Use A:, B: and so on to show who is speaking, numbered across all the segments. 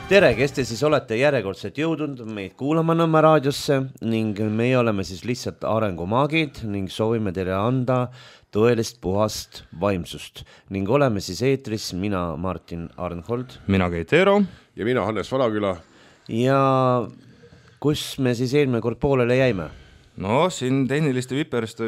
A: Tere, kes te siis olete järjekordselt jõudnud meid kuulama Nõmme raadiosse ning meie oleme siis lihtsalt arengumaagid ning soovime teile anda tõelist puhast vaimsust ning oleme siis eetris mina Martin Arnhold,
B: mina Keit Eero
C: ja mina Hannes Valaküla.
A: Ja kus me siis eelmine kord poolele jäime?
B: No siin tehniliste viperiste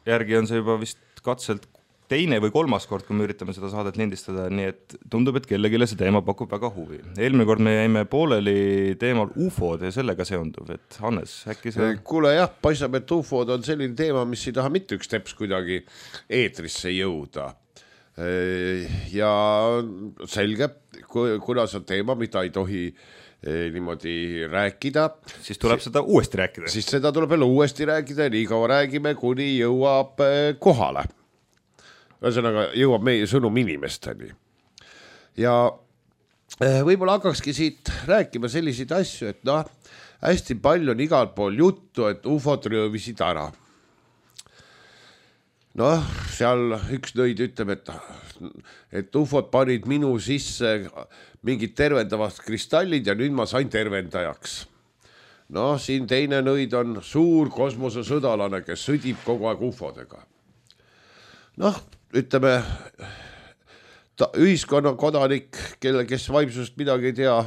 B: järgi on see juba vist katselt teine või kolmas kord, kui me üritame seda saadet lindistada, nii et tundub, et kellegile see teema pakub väga huvi. Eelmine kord me jäime pooleli teemal UFOd ja sellega seonduv, et Hannes, äkki see...
C: Kuule jah, paistab, et UFOd on selline teema, mis ei taha mitte üks teps kuidagi eetrisse jõuda. Ja selge, kuna see on teema, mida ei tohi niimoodi rääkida.
B: Siis tuleb seda uuesti rääkida.
C: Siis seda tuleb jälle uuesti rääkida ja nii kaua räägime, kuni jõuab kohale. Ühesõnaga jõuab meie sõnum inimesteni. Ja võib-olla hakkakski siit rääkima selliseid asju, et hästi palju on igal pool juttu, et UFOd röövisid ära. Seal üks nõid ütleb, et UFOd panid minu sisse mingid tervendavad kristallid ja nüüd ma sain tervendajaks. Siin teine nõid on suur kosmosesõdalane, kes sõdib kogu aeg UFOdega. Ütleme, ühiskonna kodanik, kes vaimsusest midagi ei tea,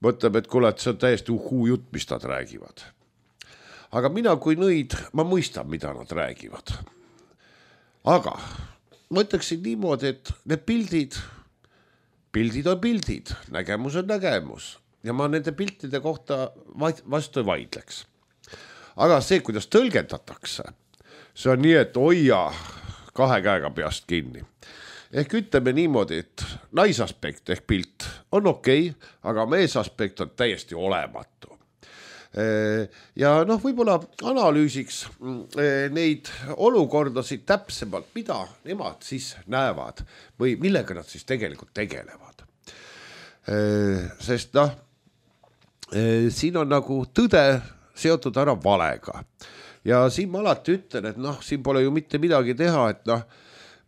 C: mõtleb, et kuule, et see on täiesti jutt, mis nad räägivad. Aga mina kui nõid, ma mõistan, mida nad räägivad. Aga ma ütleksin niimoodi, et need pildid on pildid, nägemus on nägemus ja ma nende piltide kohta vastu ei vaidleks. Aga see, kuidas tõlgendatakse, see on nii, et hoia kahe käega peast kinni. Ehk ütleme niimoodi, et naisaspekt ehk pilt on okei, aga meesaspekt on täiesti olematu. Ja võib-olla analüüsiks neid olukordasid täpsemalt, mida nemad siis näevad või millega nad siis tegelikult tegelevad. Sest siin on nagu tõde seotud ära valega. Ja siin ma alati ütlen, et siin pole ju mitte midagi teha, et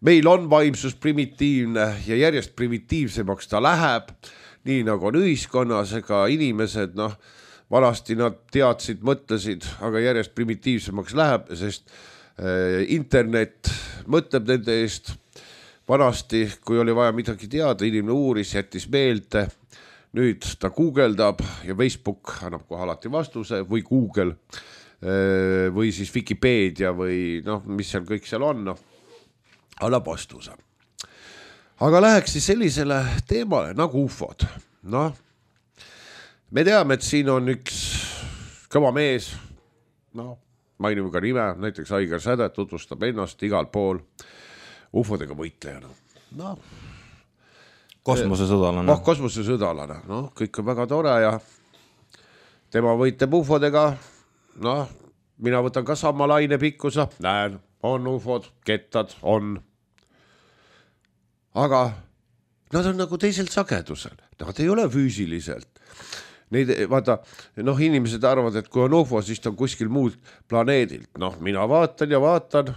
C: meil on vaimsus primitiivne ja järjest primitiivsemaks ta läheb, nii nagu on ühiskonnas, ega inimesed, vanasti nad teadsid, mõtlesid, aga järjest primitiivsemaks läheb, sest internet mõtleb nende eest. Vanasti, kui oli vaja midagi teada, inimene uuris, jättis meelde, nüüd ta guugeldab ja Facebook annab kohe alati vastuse või Google või siis Wikipedia või mis seal kõik seal on, annab vastuse. Aga läheks siis sellisele teemale nagu UFOd. Me teame, et siin on üks kõva mees, mainime ka nime, näiteks Aigar Säde tutvustab ennast igal pool UFOdega võitlejana.
B: Kosmosesõdalane.
C: Kosmosesõdalane, kõik on väga tore ja tema võitleb UFOdega. Mina võtan ka sama laine pikkusa, näen, on UFOd, kettad, on. Aga nad on nagu teiselt sagedusel, nad ei ole füüsiliselt. Inimesed arvavad, et kui on UFO, siis ta on kuskil muud planeedilt. Mina vaatan ja vaatan,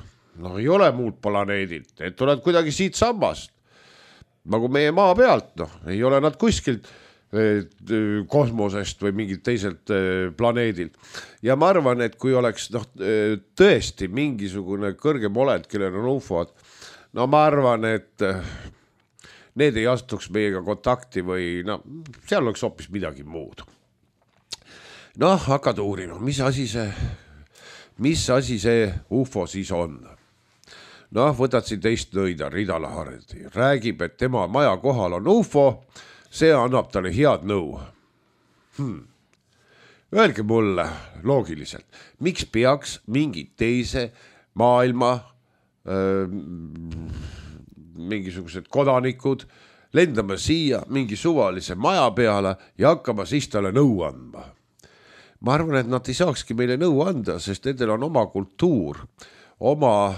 C: ei ole muud planeedilt, et tuleb kuidagi siit sammast. Nagu meie maa pealt, ei ole nad kuskilt kosmosest või mingit teiselt planeedilt. Ja ma arvan, et kui oleks tõesti mingisugune kõrgem olend, kellel on UFOd, ma arvan, et need ei astuks meiega kontakti või seal oleks hoopis midagi muud. Hakkad uurima, mis asi see UFO siis on? Võtad siin teist nõida, Ridala Hardi, räägib, et tema maja kohal on UFO, see annab talle head nõu. Öelge mulle loogiliselt, miks peaks mingi teise maailma mingisugused kodanikud lendama siia mingi suvalise maja peale ja hakkama siis talle nõu andma? Ma arvan, et nad ei saakski meile nõu anda, sest nendel on oma kultuur, oma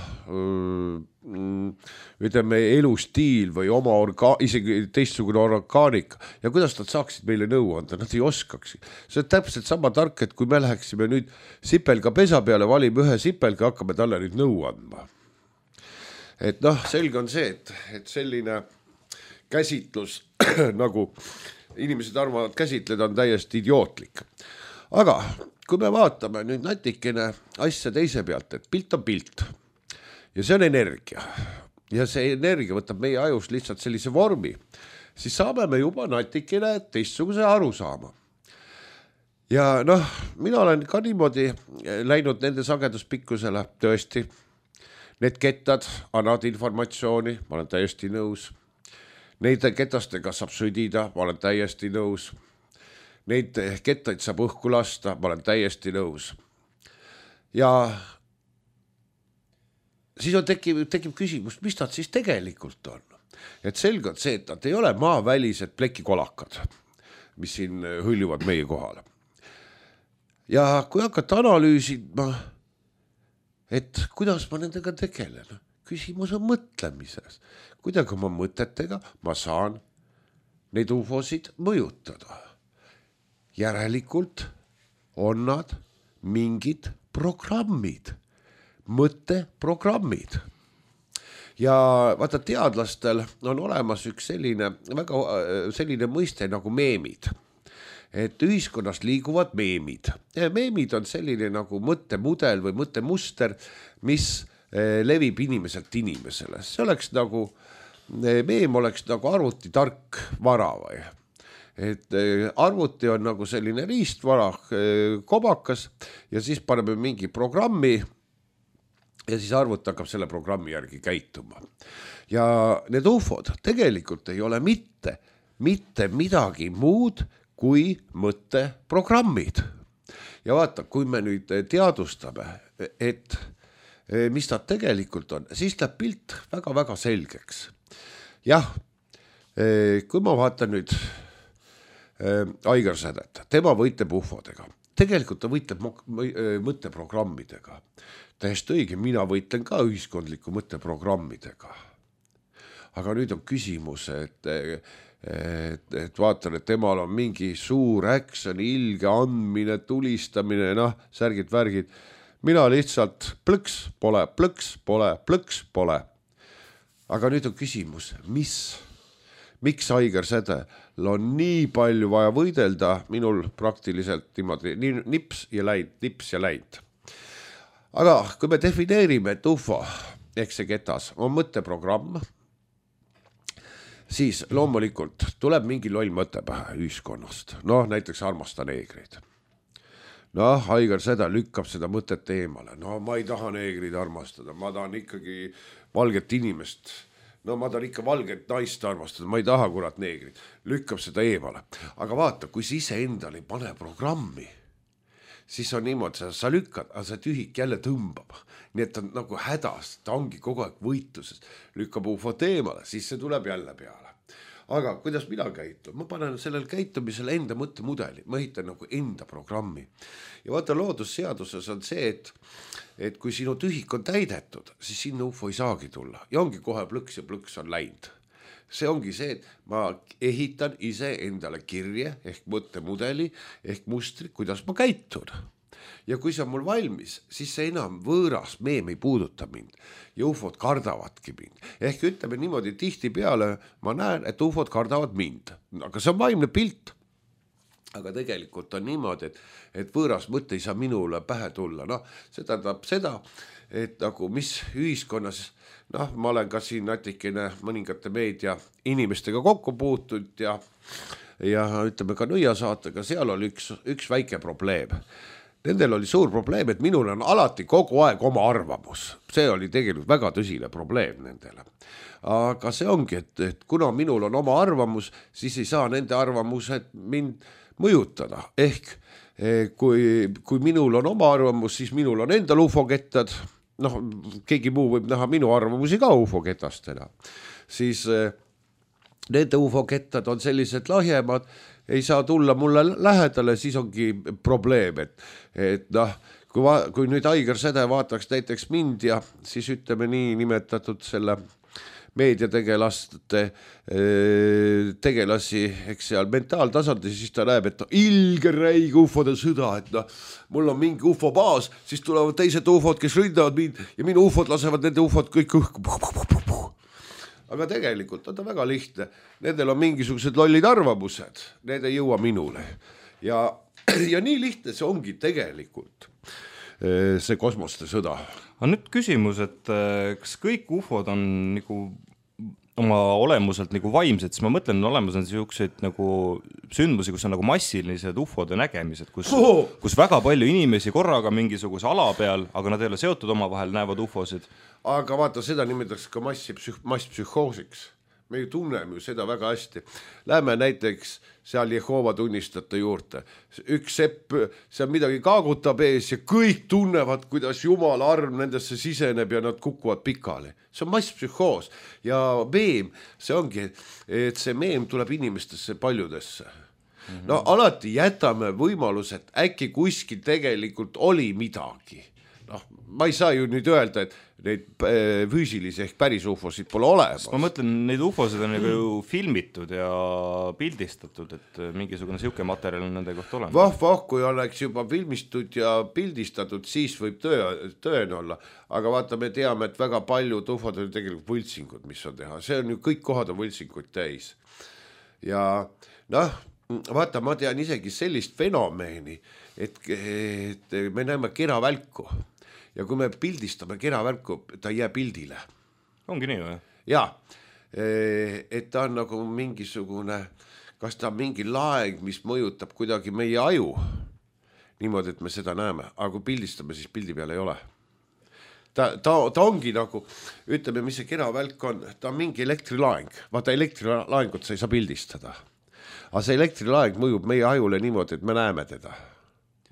C: elustiil või oma isegi teistsugune orgaanika ja kuidas nad saaksid meile nõu anda, nad ei oskaks. See on täpselt sama tark, et kui me läheksime nüüd sipelga pesa peale, valime ühe sipelga, hakkame talle nüüd nõu andma. Et selge on see, et selline käsitlus nagu inimesed arvavad käsitleda, on täiesti idiootlik. Aga kui me vaatame nüüd natikene asja teise pealt, et pilt on pilt ja see on energia ja see energia võtab meie ajus lihtsalt sellise vormi, siis saame me juba natikene teistsuguse aru saama. Ja noh, mina olen ka niimoodi läinud nende sageduspikkusele, tõesti. Need kettad annavad informatsiooni, ma olen täiesti nõus. Neid ketastega saab sõdida, ma olen täiesti nõus. Neid kettaid saab õhku lasta, ma olen täiesti nõus. Ja siis tekib küsimus, mis nad siis tegelikult on. Et selge on see, et nad ei ole maavälised plekikolakad, mis siin hõljuvad meie kohale. Ja kui hakata analüüsima, et kuidas ma nendega tegelen, küsimus on mõtlemises. Kuidagi oma mõtetega ma saan neid ufosid mõjutada. Järelikult on nad mingid programmid, mõtteprogrammid. Ja vaata, teadlastel on olemas üks selline mõiste nagu meemid. Et ühiskonnas liiguvad meemid. Ja meemid on selline nagu mõttemudel või mõttemuster, mis levib inimeselt inimesele. See oleks nagu, meem oleks nagu arvuti tark vara või. Et arvuti on nagu selline riistvara, kobakas ja siis paneme mingi programmi ja siis arvuti hakkab selle programmi järgi käituma. Ja need ufod tegelikult ei ole mitte midagi muud kui mõtteprogrammid. Ja vaata, kui me nüüd teadvustame, et mis nad tegelikult on, siis läheb pilt väga-väga selgeks. Jah, kui ma vaatan nüüd Aigar Sädet, tema võitleb ufodega. Tegelikult ta võitleb mõtteprogrammidega. Täiesti õige, mina võitlen ka ühiskondliku mõtteprogrammidega. Aga nüüd on küsimus, et vaatan, et temal on mingi suur action, ilge andmine, tulistamine, särgid, värgid. Mina lihtsalt plõks pole. Aga nüüd on küsimus, miks Aigar Sädel on nii palju vaja võidelda, minul praktiliselt niimoodi nips ja läinud. Aga kui me defineerime, et ufo, ehk see ketas, on mõtteprogramm, siis loomulikult tuleb mingi loll mõte pähe ühiskonnast. Näiteks armasta neegreid. Aigar Säde lükkab seda mõtet eemale. Ma ei taha neegreid armastada, ma tahan ikkagi valget inimest. Ma tahan ikka valget naist armastada, ma ei taha kurat neegrit. Lükkab seda eemale. Aga vaata, kui sa ise endale ei pane programmi, siis on niimoodi, sa lükkad, aga see tühik jälle tõmbab. Nii et ta on nagu hädas, ta ongi kogu aeg võitluses. Lükkab ufot eemale, siis see tuleb jälle peale. Aga kuidas mina käitun? Ma panen sellel käitumisel enda mõttemudeli, ma ehitan nagu enda programmi. Ja vaata, loodusseaduses on see, et kui sinu tühik on täidetud, siis sinna ufo ei saagi tulla. Ja ongi kohe plõks ja plõks on läinud. See ongi see, et ma ehitan ise endale kirje ehk mõttemudeli ehk mustri, kuidas ma käitun. Ja kui see on mul valmis, siis see enam võõras meem ei puuduta mind. Ja ufod kardavadki mind. Ehk ütleme niimoodi, tihti peale ma näen, et ufod kardavad mind. Aga see on vaimne pilt. Aga tegelikult on niimoodi, et võõras mõte ei saa minule pähe tulla. See tähendab seda, et nagu mis ühiskonnas, ma olen ka siin natikene mõningate meedia inimestega kokku puutud ja ütleme ka nõiasaatega, seal oli üks väike probleem. Nendel oli suur probleem, et minul on alati kogu aeg oma arvamus. See oli tegelikult väga tõsine probleem nendele. Aga see ongi, et kuna minul on oma arvamus, siis ei saa nende arvamused mind mõjutada. Ehk kui minul on oma arvamus, siis minul on endal ufokettad. Keegi muu võib näha minu arvamusi ka ufoketastena. Siis nende ufokettad on sellised lahjemad, ei saa tulla mulle lähedale, siis ongi probleem, et kui nüüd Aigar Säde vaataks näiteks mind ja siis ütleme nii nimetatud selle meediategelaste tegelasi, eks seal mentaaltasandil, siis ta näeb, et ilge räige ufode sõda, et mul on mingi ufobaas, siis tulevad teised ufod, kes ründavad mind ja minu ufod lasevad nende ufod kõik õhku. aga tegelikult on ta väga lihtne. Nendel on mingisugused lollid arvamused, need ei jõua minule. Ja nii lihtne see ongi tegelikult, see kosmoste sõda.
B: Aga nüüd küsimus, et kas kõik ufod on nagu oma olemuselt nagu vaimsed, siis ma mõtlen, olemas on selliseid nagu sündmusi, kus on nagu massilised ufode nägemised, kus väga palju inimesi korraga mingisuguse ala peal, aga nad ei ole seotud omavahel, näevad ufosid.
C: Aga vaata, seda nimetatakse ka masspsühhoosiks. Me ju tunneme ju seda väga hästi. Lähme näiteks seal Jehova tunnistajate juurde. Üks sepp, seal midagi kaagutab ees ja kõik tunnevad, kuidas Jumala arm nendesse siseneb ja nad kukuvad pikali. See on masspsühhoos ja meem, see ongi, et see meem tuleb inimestesse paljudesse. No alati jätame võimalus, et äkki kuskil tegelikult oli midagi. No, ma ei saa ju nüüd öelda, et neid füüsilisi ehk päris ufosid pole olemas.
B: Ma mõtlen, neid ufosid on ju filmitud ja pildistatud, et mingisugune siuke materjal on nende kohta olemas.
C: Kui oleks juba filmitud ja pildistatud, siis võib tõen olla. Aga vaata, me teame, et väga paljud ufod on tegelikult võltsingud, mis on teha. See on ju kõik kohad on võltsinguid täis. Ja vaata, ma tean isegi sellist fenomeeni, et me näeme keravälku. Ja kui me pildistame keravälku, ta ei jää pildile.
B: Ongi nii või?
C: Jaa, et ta on nagu mingisugune, kas ta on mingi laeng, mis mõjutab kuidagi meie aju. Niimoodi, et me seda näeme, aga kui pildistame, siis pildi peal ei ole. Ta ongi nagu, ütleme, mis see keravälk on, ta on mingi elektrilaeng. Vaata, elektrilaengut sa ei saa pildistada. Aga see elektrilaeng mõjub meie ajule niimoodi, et me näeme teda.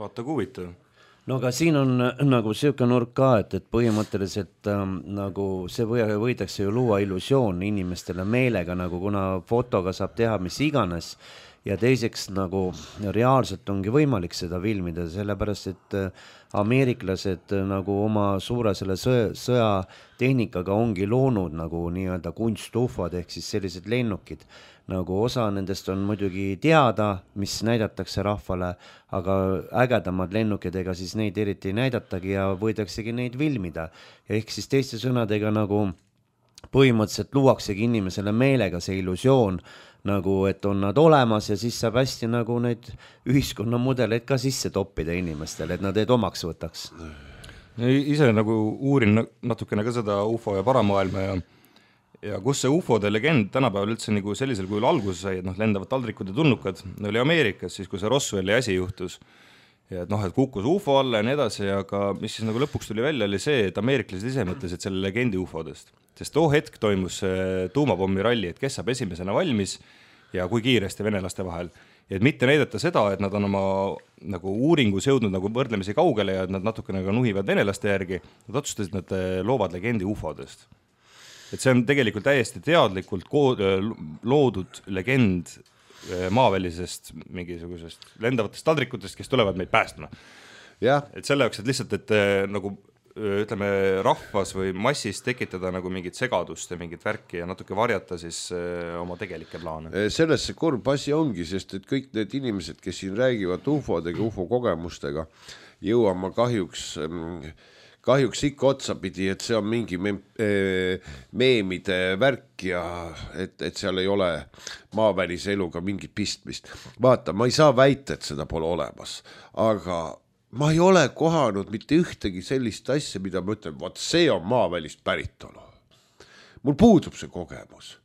B: Vaata, kui huvitav.
A: No aga siin on nagu selline nurk ka, et põhimõtteliselt nagu see võidakse ju luua illusioon inimestele meelega, nagu kuna fotoga saab teha mis iganes ja teiseks nagu reaalselt ongi võimalik seda filmida, sellepärast et ameeriklased nagu oma suure selle sõjatehnikaga ongi loonud nagu nii-öelda kunstufod ehk siis sellised lennukid. Nagu osa nendest on muidugi teada, mis näidatakse rahvale, aga ägedamad lennukid, ega siis neid eriti ei näidatagi ja võidaksegi neid filmida. Ehk siis teiste sõnadega nagu põhimõtteliselt luuaksegi inimesele meelega see illusioon, nagu et on nad olemas ja siis saab hästi nagu neid ühiskonnamudeleid ka sisse toppida inimestele, et nad neid omaks võtaks.
B: Ise nagu uurin natukene ka seda UFO ja paramaailma ja kus see UFO-de legend tänapäeval üldse nagu sellisel kujul alguse sai, et lendavad taldrikud ja tulnukad, oli Ameerikas, siis kui see Roswelli asi juhtus ja et kukkus UFO alla ja nii edasi, aga mis siis nagu lõpuks tuli välja, oli see, et ameeriklased ise mõtlesid selle legendi UFO-dest, sest too hetk toimus tuumapommi ralli, et kes saab esimesena valmis ja kui kiiresti venelaste vahel. Ja et mitte näidata seda, et nad on oma nagu uuringus jõudnud nagu võrdlemisi kaugele ja et nad natukene nuhivad venelaste järgi, nad otsustasid, et nad loovad legendi UFO-dest. Et see on tegelikult täiesti teadlikult loodud legend maavälisest mingisugusest lendavatest taldrikutest, kes tulevad meid päästma.
C: Ja.
B: Et selle jaoks, et lihtsalt, et nagu ütleme rahvas või massis tekitada nagu mingit segadust ja mingit värki ja natuke varjata siis oma tegelikke plaane.
C: Selles see kurb asi ongi, sest et kõik need inimesed, kes siin räägivad UFO-dega, UFO kogemustega, jõuama kahjuks ikka otsapidi, et see on mingi meemide värk ja et seal ei ole maavälise eluga mingit pistmist. Vaata, ma ei saa väita, et seda pole olemas, aga ma ei ole kohanud mitte ühtegi sellist asja, mida ma ütlen, vaat see on maavälist päritolu. Mul puudub see kogemus.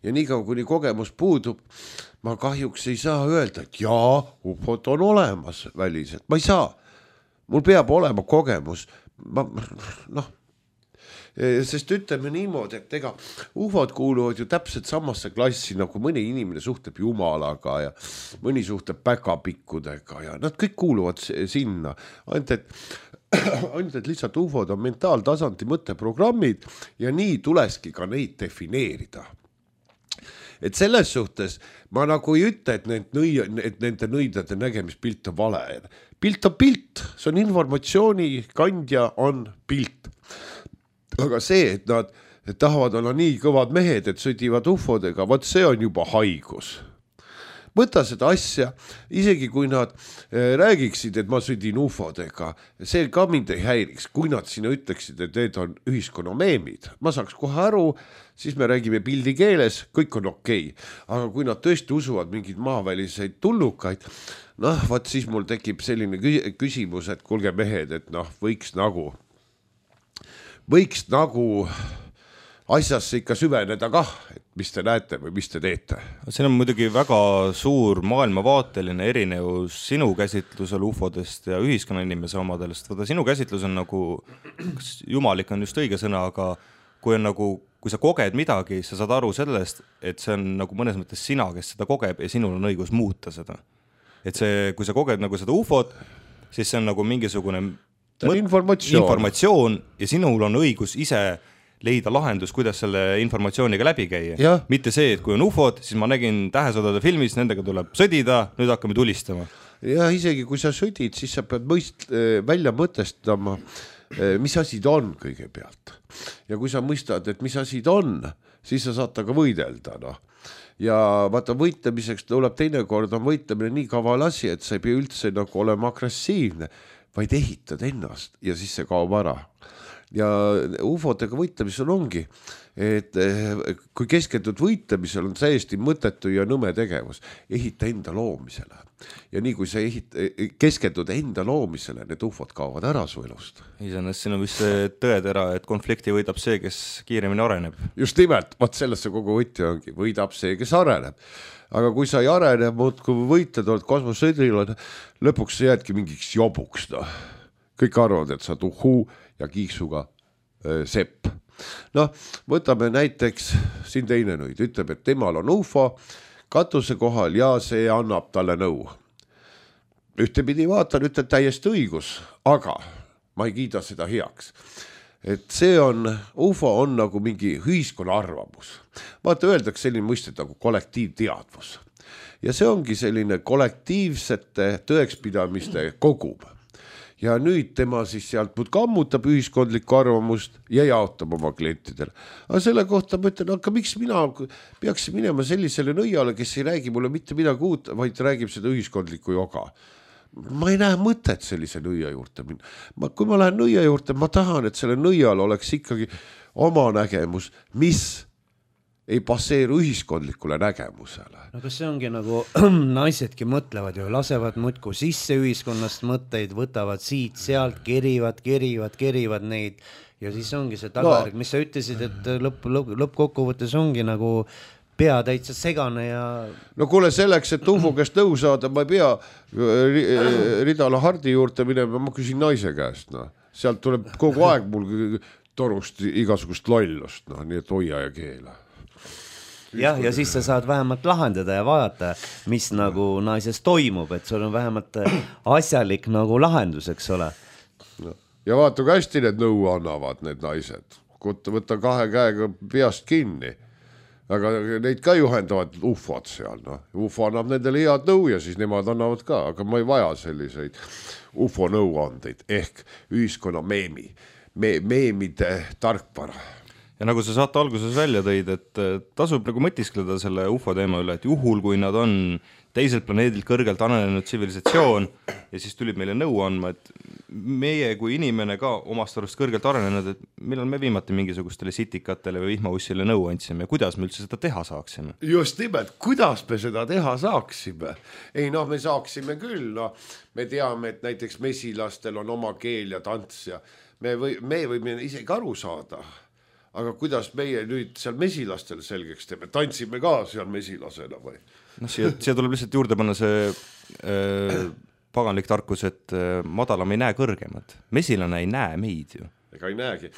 C: Ja nii kaua, kuni kogemus puudub, ma kahjuks ei saa öelda, et jaa, UFO-d on olemas väliselt. Ma ei saa. Mul peab olema kogemus. Sest ütleme niimoodi, et ega UFO-d kuuluvad ju täpselt samasse klassi, nagu mõni inimene suhtleb Jumalaga ja mõni suhtleb päkapikkudega ja nad kõik kuuluvad sinna. Ainult, et lihtsalt UFO-d on mentaaltasandi mõtteprogrammid ja nii tuleski ka neid defineerida. Et selles suhtes ma nagu ei ütle, et nende nõidade nägemispilt on vale. Pilt on pilt, see on informatsiooni kandja on pilt. Aga see, et nad tahavad olla nii kõvad mehed, et sõdivad UFO-dega, vaat see on juba haigus. võta seda asja, isegi kui nad räägiksid, et ma sõdin ufodega, see ka mind ei häiriks, kui nad sinna ütleksid, et need on ühiskonna meemid, ma saaks kohe aru, siis me räägime pildi keeles, kõik on okei. Aga kui nad tõesti usuvad mingeid maaväliseid tullukaid, noh, vaat siis mul tekib selline küsimus, et kuulge mehed, et noh, võiks nagu asjasse ikka süveneda kah, et mis te näete või mis te teete.
B: Siin on muidugi väga suur maailmavaateline erinevus sinu käsitlusel ufodest ja ühiskonna inimese omadest. Võta, sinu käsitlus on nagu, kas jumalik on just õige sõna, aga kui sa koged midagi, sa saad aru sellest, et see on nagu mõnes mõttes sina, kes seda kogeb ja sinul on õigus muuta seda. Et see, kui sa koged nagu seda ufot, siis see on nagu mingisugune informatsioon ja sinul on õigus ise leida lahendus, kuidas selle informatsiooniga läbi käia. Ja. Mitte see, et kui on ufod, siis ma nägin Tähesõdade filmis, nendega tuleb sõdida, nüüd hakkame tulistama.
C: Ja isegi kui sa sõdid, siis sa pead välja mõtestama, mis asi ta on kõigepealt. Ja kui sa mõistad, et mis asi ta on, siis sa saad taga võidelda. No. Ja vaata, võitlemiseks tuleb teinekord on võitlemine nii kaval asi, et sa ei pea üldse nagu olema agressiivne, vaid ehitad ennast ja siis see kaob ära. Ja ufodega võitlemisel ongi, et kui keskendud võitlemisel on täiesti mõttetu ja nõme tegevus, ehita enda loomisele. Ja nii kui sa keskendud enda loomisele, need ufod kaovad ära su elust.
B: Iseenesest siin on vist see tõetera, et konflikti võidab see, kes kiiremini areneb.
C: Just nimelt, vaat sellesse kogu võti ongi, võidab see, kes areneb. Aga kui sa ei arene, kui võitled, oled kosmosõdril, lõpuks sa jäädki mingiks jobuks. No. Kõik arvavad, et sa tuhuu ja kiiksuga sepp. Noh, võtame näiteks siin teine nõid, ütleb, et temal on ufo katuse kohal ja see annab talle nõu. Ühtepidi vaatan, ütleb täiesti õigus, aga ma ei kiida seda heaks. Et see on, ufo on nagu mingi ühiskonna arvamus. Vaata, öeldakse selline mõistet nagu kollektiivteadvus. Ja see ongi selline kollektiivsete tõekspidamiste kogum. Ja nüüd tema siis sealt kammutab ühiskondlikku arvamust ja jaotab oma klientidele. Aga selle kohta ma ütlen, aga miks mina peaksin minema sellisele nõiale, kes ei räägi mulle mitte midagi uut, vaid räägib seda ühiskondlikku joga. Ma ei näe mõtet sellise nõia juurde minna. Kui ma lähen nõia juurde, ma tahan, et selle nõial oleks ikkagi oma nägemus, mis ei passeeru ühiskondlikule nägemusele.
A: No kas see ongi nagu naisedki mõtlevad ju, lasevad muudkui sisse ühiskonnast mõtteid, võtavad siit, sealt, kerivad neid ja siis ongi see tagajärg, mis sa ütlesid, et lõppkokkuvõttes ongi nagu pea täitsa segane ja...
C: No kuule, selleks, et ufo käest nõu saada, ma ei pea Ridala Hardi juurde minema, ma küsin naise käest. No. Sealt tuleb kogu aeg mul torust igasugust lollust, no, nii et hoia ja keela.
A: Jah, ja siis sa saad vähemalt lahendada ja vaadata, mis nagu naises toimub, et sul on vähemalt asjalik nagu lahendus, eks ole.
C: No. Ja vaata, kui hästi need nõu annavad need naised. Võtta 2 käega peast kinni. Aga neid ka juhendavad ufod seal. No. Ufo annab nendele head nõu ja siis nemad annavad ka, aga ma ei vaja selliseid ufo nõuandeid ehk ühiskonna meemide tarkvara.
B: Ja nagu sa saate alguses välja tõid, et tasub nagu mõtiskleda selle ufo teema üle, et juhul, kui nad on teiselt planeedilt kõrgelt arenenud tsivilisatsioon ja siis tulid meile nõu andma, et meie kui inimene ka omast arust kõrgelt arenenud, et millal me viimati mingisugustele sitikatele või vihmaussile nõu andsime ja kuidas me üldse seda teha saaksime?
C: Just nimelt, kuidas me seda teha saaksime? Ei, noh, me saaksime küll, no, me teame, et näiteks mesilastel on oma keel ja tants ja me võime isegi aru saada. Aga kuidas meie nüüd seal mesilastel selgeks teeme? Tantsime ka seal mesilasena või?
B: No, siia tuleb lihtsalt juurde panna see paganlik tarkus, et madalam ei näe kõrgemat. Mesilane ei näe meid ju.
C: Ega ei näegi.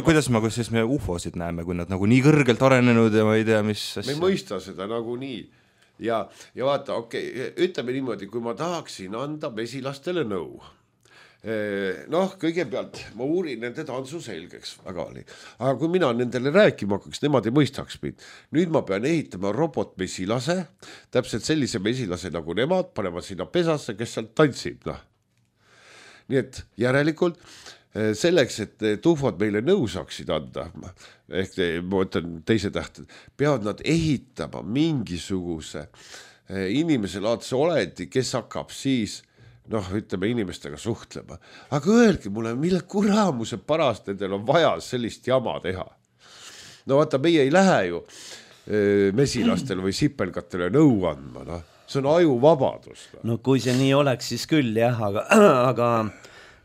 B: Kuidas me ufosid näeme, kui nad nagu nii kõrgelt arenenud ja ma ei tea, mis asja?
C: Me ei mõista seda nagu nii. Ja vaata, ütleme niimoodi, kui ma tahaksin anda mesilastele nõu. Noh, kõigepealt ma uurin nende tantsu selgeks väga oli. Aga kui mina nendele rääkima hakkaks, nemad ei mõistaks mind. Nüüd ma pean ehitama robotmesilase, täpselt sellise mesilase nagu nemad, panema sinna pesasse, kes sealt tantsib. No. Nii et järelikult selleks, et ufod meile nõu saaksid anda, ehk ma ütlen teise tähte, peavad nad ehitama mingisuguse inimese laadse oledi, kes hakkab siis ütleme inimestega suhtlema. Aga öelge mulle, mille kuramuse parast nendel on vaja sellist jama teha. No vaata, meie ei lähe ju mesilastele või sipelgatele nõu andma, see on ajuvabadus.
A: No kui see nii oleks, siis küll jah, aga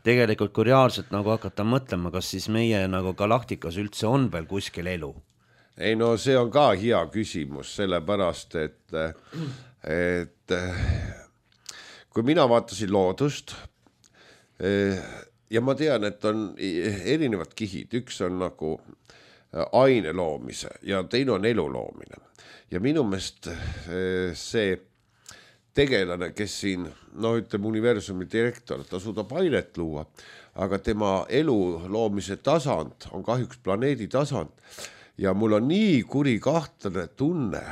A: tegelikult kui reaalselt nagu hakata mõtlema, kas siis meie nagu galaktikas üldse on veel kuskil elu?
C: Ei no see on ka hea küsimus, sellepärast, et kui mina vaatasin loodust ja ma tean, et on erinevad kihid, üks on nagu aine loomise ja teine on elu loomine. Ja minu meelest see tegelane, kes siin, ütleme universumi direktor, ta suudab ainet luua, aga tema elu loomise tasand on kahjuks planeedi tasand ja mul on nii kuri kahtlane tunne,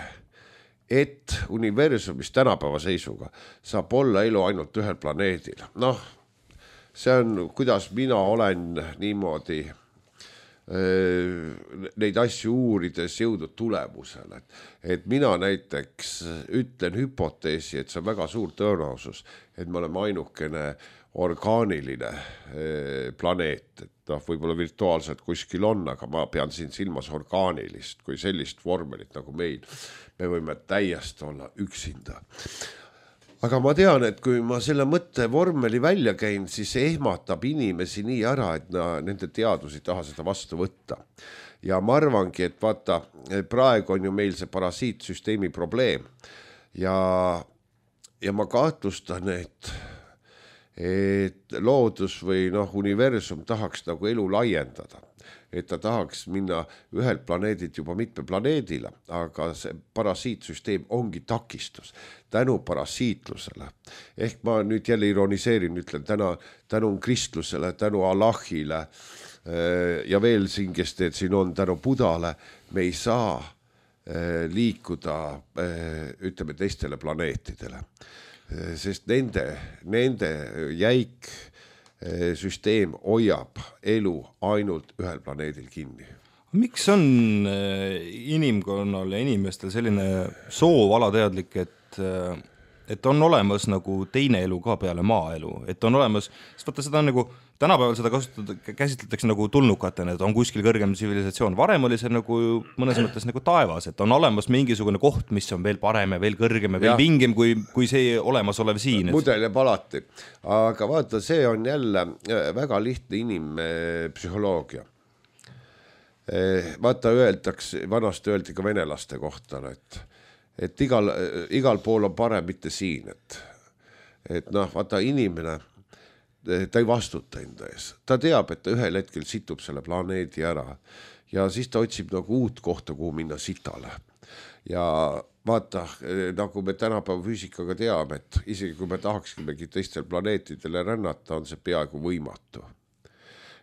C: et universumis tänapäeva seisuga saab olla elu ainult ühel planeedil. See on, kuidas mina olen niimoodi neid asju uurides jõudnud tulemusele. Et mina näiteks ütlen hüpoteesi, et see on väga suur tõenäosus, et me oleme ainukene orgaaniline planeet. Et võib-olla virtuaalselt kuskil on, aga ma pean siin silmas orgaanilist, kui sellist vormelit nagu meil. Me võime täiesti olla üksinda. Aga ma tean, et kui ma selle mõtte vormeli välja käin, siis see ehmatab inimesi nii ära, et nende teadus ei taha seda vastu võtta. Ja ma arvangi, et vaata, praegu on ju meil see parasiitsüsteemi probleem. Ja ma kahtlustan, et loodus või universum tahaks nagu elu laiendada. Et ta tahaks minna ühelt planeedilt juba mitme planeedile, aga see parasiitsüsteem ongi takistus tänu parasiitlusele. Ehk ma nüüd jälle ironiseerin, ütlen tänu kristlusele, tänu Allahile ja veel siin, kes siin on tänu Budale, me ei saa liikuda, ütleme, teistele planeetidele. Sest nende jäik süsteem hoiab elu ainult ühel planeedil kinni.
B: Miks on inimkonnal ja inimestel selline soov alateadlik, et on olemas nagu teine elu ka peale maaelu, et on olemas, sest vaata seda on nagu tänapäeval seda käsitletakse nagu tulnukatena, et on kuskil kõrgem tsivilisatsioon. Varem oli see nagu mõnes mõttes nagu taevas, et on olemas mingisugune koht, mis on veel parem ja veel kõrgem ja veel vingem kui see olemasolev siin.
C: Mudel jääb alati. Aga vaata, see on jälle väga lihtne inimpsühholoogia. Vaata, vanasti öeldi ka venelaste kohta, et igal pool on parem mitte siin. Et vaata, inimene ta ei vastuta enda ees. Ta teab, et ta ühel hetkel situb selle planeedi ära ja siis ta otsib nagu uut kohta, kuhu minna sitale. Ja vaata, nagu me tänapäeva füüsikaga teame, et isegi kui me tahaksimegi teistel planeetidele rännata, on see peaaegu võimatu.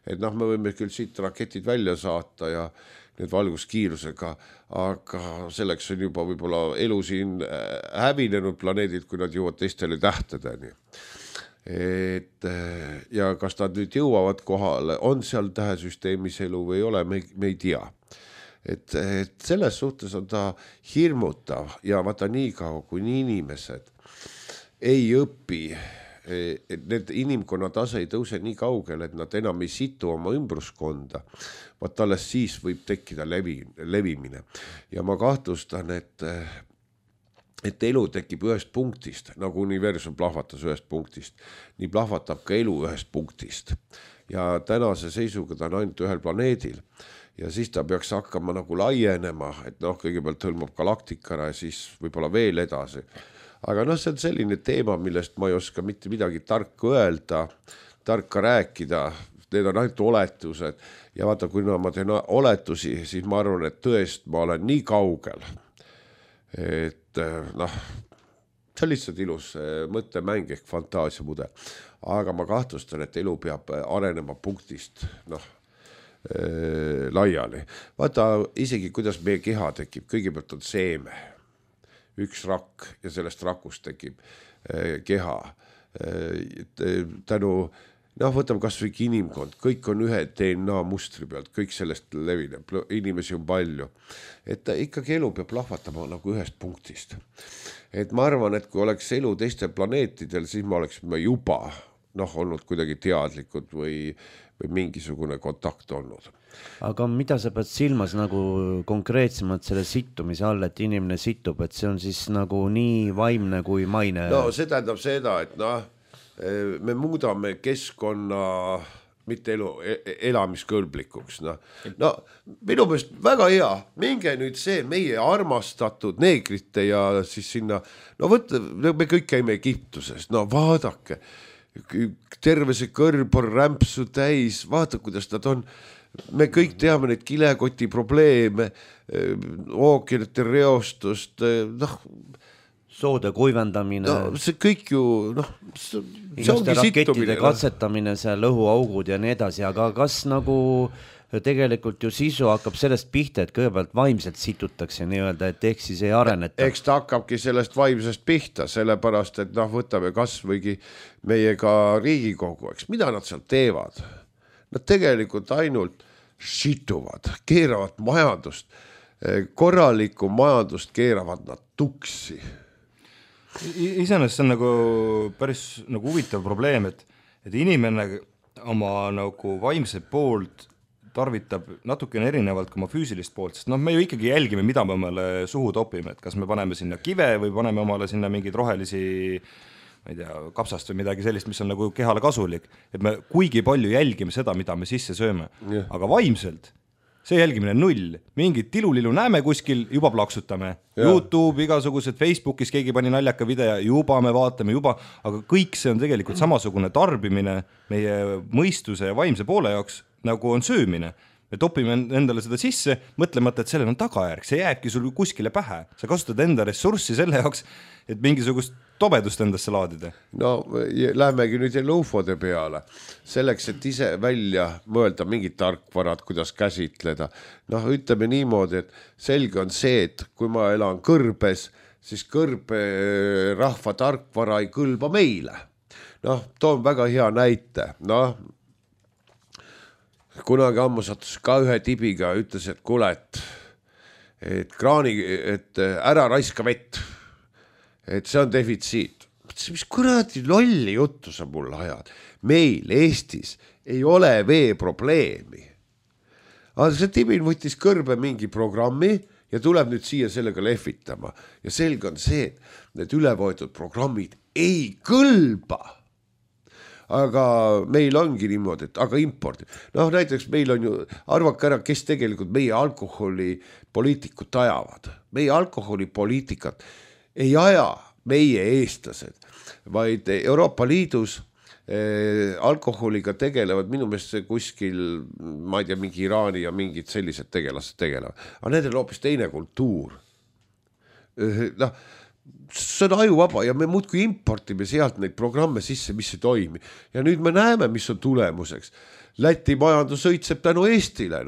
C: Et me võime küll siit raketid välja saata ja need valguskiirusega, aga selleks on juba võib-olla elu siin hävinenud planeedid, kui nad jõuavad teistele tähtedeni. Ja kas nad nüüd jõuavad kohale, on seal tähesüsteemis elu või ei ole, me ei tea. Et selles suhtes on ta hirmutav ja vaata nii kaua, kui inimesed ei õpi, et need inimkonna tase ei tõuse nii kaugel, et nad enam ei situ oma ümbruskonda, vaata alles siis võib tekkida levimine. Ja ma kahtlustan, et elu tekib ühest punktist, nagu universum plahvatas ühest punktist. Nii plahvatab ka elu ühest punktist. Ja tänase seisuga ta on ainult ühel planeedil. Ja siis ta peaks hakkama nagu laienema, et kõigepealt hõlmab galaktikana ja siis võib-olla veel edasi. Aga see on selline teema, millest ma ei oska mitte midagi tarka öelda, tarka rääkida. Need on ainult oletused. Ja vaata, kui ma teen oletusi, siis ma arvan, et tõest ma olen nii kaugel, et see on lihtsalt ilus mõttemäng ehk fantaasiamudel. Aga ma kahtlustan, et elu peab arenema punktist laiali. Vaata isegi, kuidas meie keha tekib. Kõigepealt on seeme, üks rakk ja sellest rakust tekib keha. Tänu võtame kas või inimkond, kõik on ühe DNA mustri pealt, kõik sellest levineb, inimesi on palju. Et ikkagi elu peab lahvatama nagu ühest punktist. Et ma arvan, et kui oleks elu teistel planeetidel, siis me oleksime juba olnud kuidagi teadlikud või mingisugune kontakt olnud.
A: Aga mida sa pead silmas nagu konkreetsemalt selle sittumise all, et inimene sittub, et see on siis nagu nii vaimne kui maine?
C: No see tähendab seda, et me muudame keskkonna mitte elamiskõlblikuks. No minu meelest väga hea, minge nüüd see meie armastatud neegrite ja siis sinna, võtta, me kõik käime Egiptuses, vaadake, terve see kõrb on rämpsu täis, vaata kuidas nad on, me kõik teame neid kilekoti probleeme, ookeanite reostust,
A: soode kuivendamine.
C: See kõik ju, see ongi sittumine.
A: Katsetamine, seal õhuaugud ja nii edasi, aga kas nagu tegelikult ju sisu hakkab sellest pihta, et kõigepealt vaimselt situtakse nii-öelda, et ehk siis ei areneta.
C: Eks ta hakkabki sellest vaimsest pihta, sellepärast, et võtame kas võigi meiega Riigikogu, eks, mida nad seal teevad? Nad tegelikult ainult situvad, keeravad majandust, korralikku majandust keeravad nad tuksi.
B: Iseenesest see on nagu päris nagu huvitav probleem, et inimene oma nagu vaimse poolt tarvitab natukene erinevalt kui oma füüsilist poolt, sest me ju ikkagi jälgime, mida me omale suhu topime, et kas me paneme sinna kive või paneme omale sinna mingeid rohelisi, ma ei tea, kapsast või midagi sellist, mis on nagu kehale kasulik, et me kuigi palju jälgime seda, mida me sisse sööme, aga vaimselt see jälgimine on null, mingit tilulilu näeme kuskil, juba plaksutame, YouTube, igasugused Facebookis keegi pani naljaka video, juba me vaatame juba, aga kõik see on tegelikult samasugune tarbimine meie mõistuse ja vaimse poole jaoks, nagu on söömine. Me topime endale seda sisse, mõtlemata, et sellel on tagajärg, see jääbki sul kuskile pähe. Sa kasutad enda ressurssi selle jaoks, et mingisugust tobedust endasse laadida.
C: No, lähemegi nüüd ufode peale. Selleks, et ise välja mõelda mingid tarkvarad, kuidas käsitleda. Ütleme niimoodi, et selge on see, et kui ma elan kõrbes, siis kõrbe rahva tarkvara ei kõlba meile. Toon väga hea näite. Kunagi ammu sattus ka ühe tibiga, ütles, et kuule, et ära raiska vett, et see on defitsiit. Mis kuradi lolli juttu sa mulle ajad? Meil Eestis ei ole vee probleemi. Aga see tibin võttis kõrbe mingi programmi ja tuleb nüüd siia sellega lehvitama. Ja selge on see, et need ülevõetud programmid ei kõlba. Aga meil ongi niimoodi, et aga impordi. Näiteks meil on ju, arvake ära, kes tegelikult meie alkoholipoliitikut ajavad. Meie alkoholipoliitikat ei aja meie eestlased, vaid Euroopa Liidus alkoholiga tegelevad minu meelest kuskil, ma ei tea, mingi Iraani ja mingid sellised tegelased tegelevad. Aga need on hoopis teine kultuur. See on ajuvaba ja me muudkui importime sealt neid programme sisse, mis ei toimi. Ja nüüd me näeme, mis on tulemuseks. Läti majandus õitseb tänu Eestile.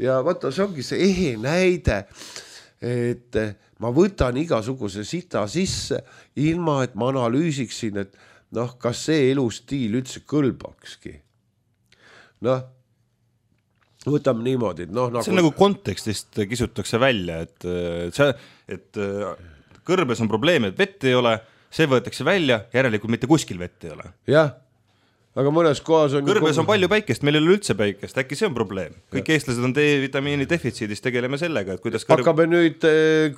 C: Ja vaata, see ongi see ehe näide, et ma võtan igasuguse sita sisse, ilma et ma analüüsiksin, et kas see elustiil üldse kõlbakski. Võtame niimoodi.
B: See on nagu kontekstist kisutakse välja, et kõrbes on probleem, et vett ei ole, see võetakse välja, järelikult mitte kuskil vett ei ole.
C: Jah, aga mõnes kohas on...
B: Kõrbes on palju päikest, meil ei ole üldse päikest, äkki see on probleem. Kõik eestlased on D-vitamiini defitsiidis, tegeleme sellega, et kuidas
C: hakkame nüüd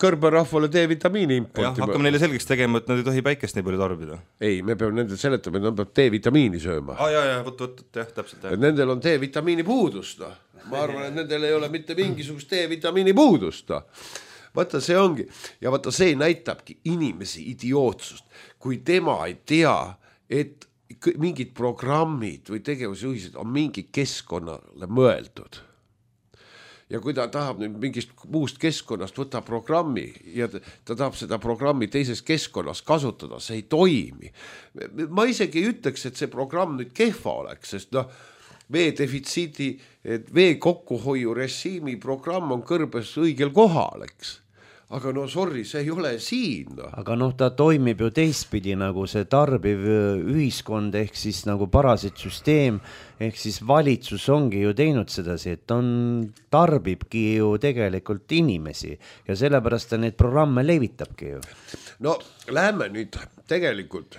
C: kõrberahvale D-vitamiini importima.
B: Hakkame neile selgeks tegema, et nad ei tohi päikest nii palju tarbida.
C: Ei, me peame nendel seletama, et nad peab D-vitamiini sööma.
B: Võt, täpselt.
C: Nendel on D-vitamiini puudust. Ma arvan, et nendel ei ole mitte mingisugust D-vitamiini puudust. Vaata, see ongi. Ja vaata, see näitabki inimesi idiootsust. Kui tema ei tea, et mingid programmid või tegevusjuhised on mingi keskkonnale mõeldud. Ja kui ta tahab nüüd mingist muust keskkonnast võtta programmi ja ta tahab seda programmi teises keskkonnas kasutada, see ei toimi. Ma isegi ei ütleks, et see programm nüüd kehva oleks, sest vee defitsiidi, vee kokkuhoiu režiimi programm on kõrbes õigel kohal, eks. aga no sorry, see ei ole siin.
A: Aga noh, ta toimib ju teistpidi nagu see tarbiv ühiskond ehk siis nagu parasitsüsteem ehk siis valitsus ongi ju teinud sedasi, et tarbibki ju tegelikult inimesi ja sellepärast ta neid programme levitabki ju.
C: No lähme nüüd tegelikult,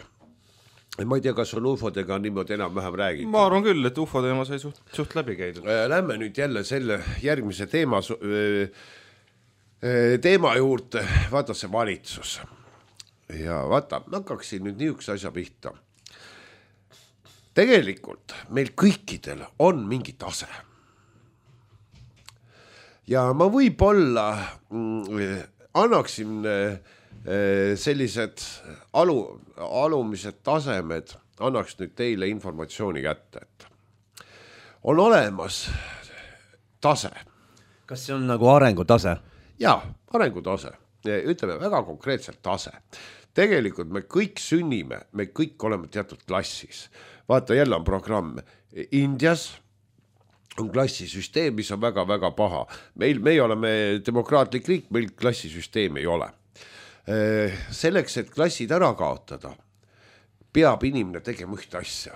C: ma ei tea, kas on UFO-dega niimoodi enam-vähem räägitud.
B: Ma arvan küll, et UFO teema sai suht läbi käidud.
C: Lähme nüüd jälle selle järgmise teema juurde, vaata see valitsus. Ja vaata, hakkaksin nüüd niisuguse asja pihta. Tegelikult meil kõikidel on mingi tase. Ja ma võib-olla annaksin sellised alumised tasemed, annaks nüüd teile informatsiooni kätte, et on olemas tase.
A: Kas see on nagu arengutase?
C: Jaa, arengutase. Ütleme väga konkreetselt tase. Tegelikult me kõik sünnime, me kõik oleme teatud klassis. Vaata, jälle on programm. Indias on klassisüsteem, mis on väga-väga paha. Me oleme demokraatlik riik, meil klassisüsteem ei ole. Selleks, et klassid ära kaotada, peab inimene tegema ühte asja.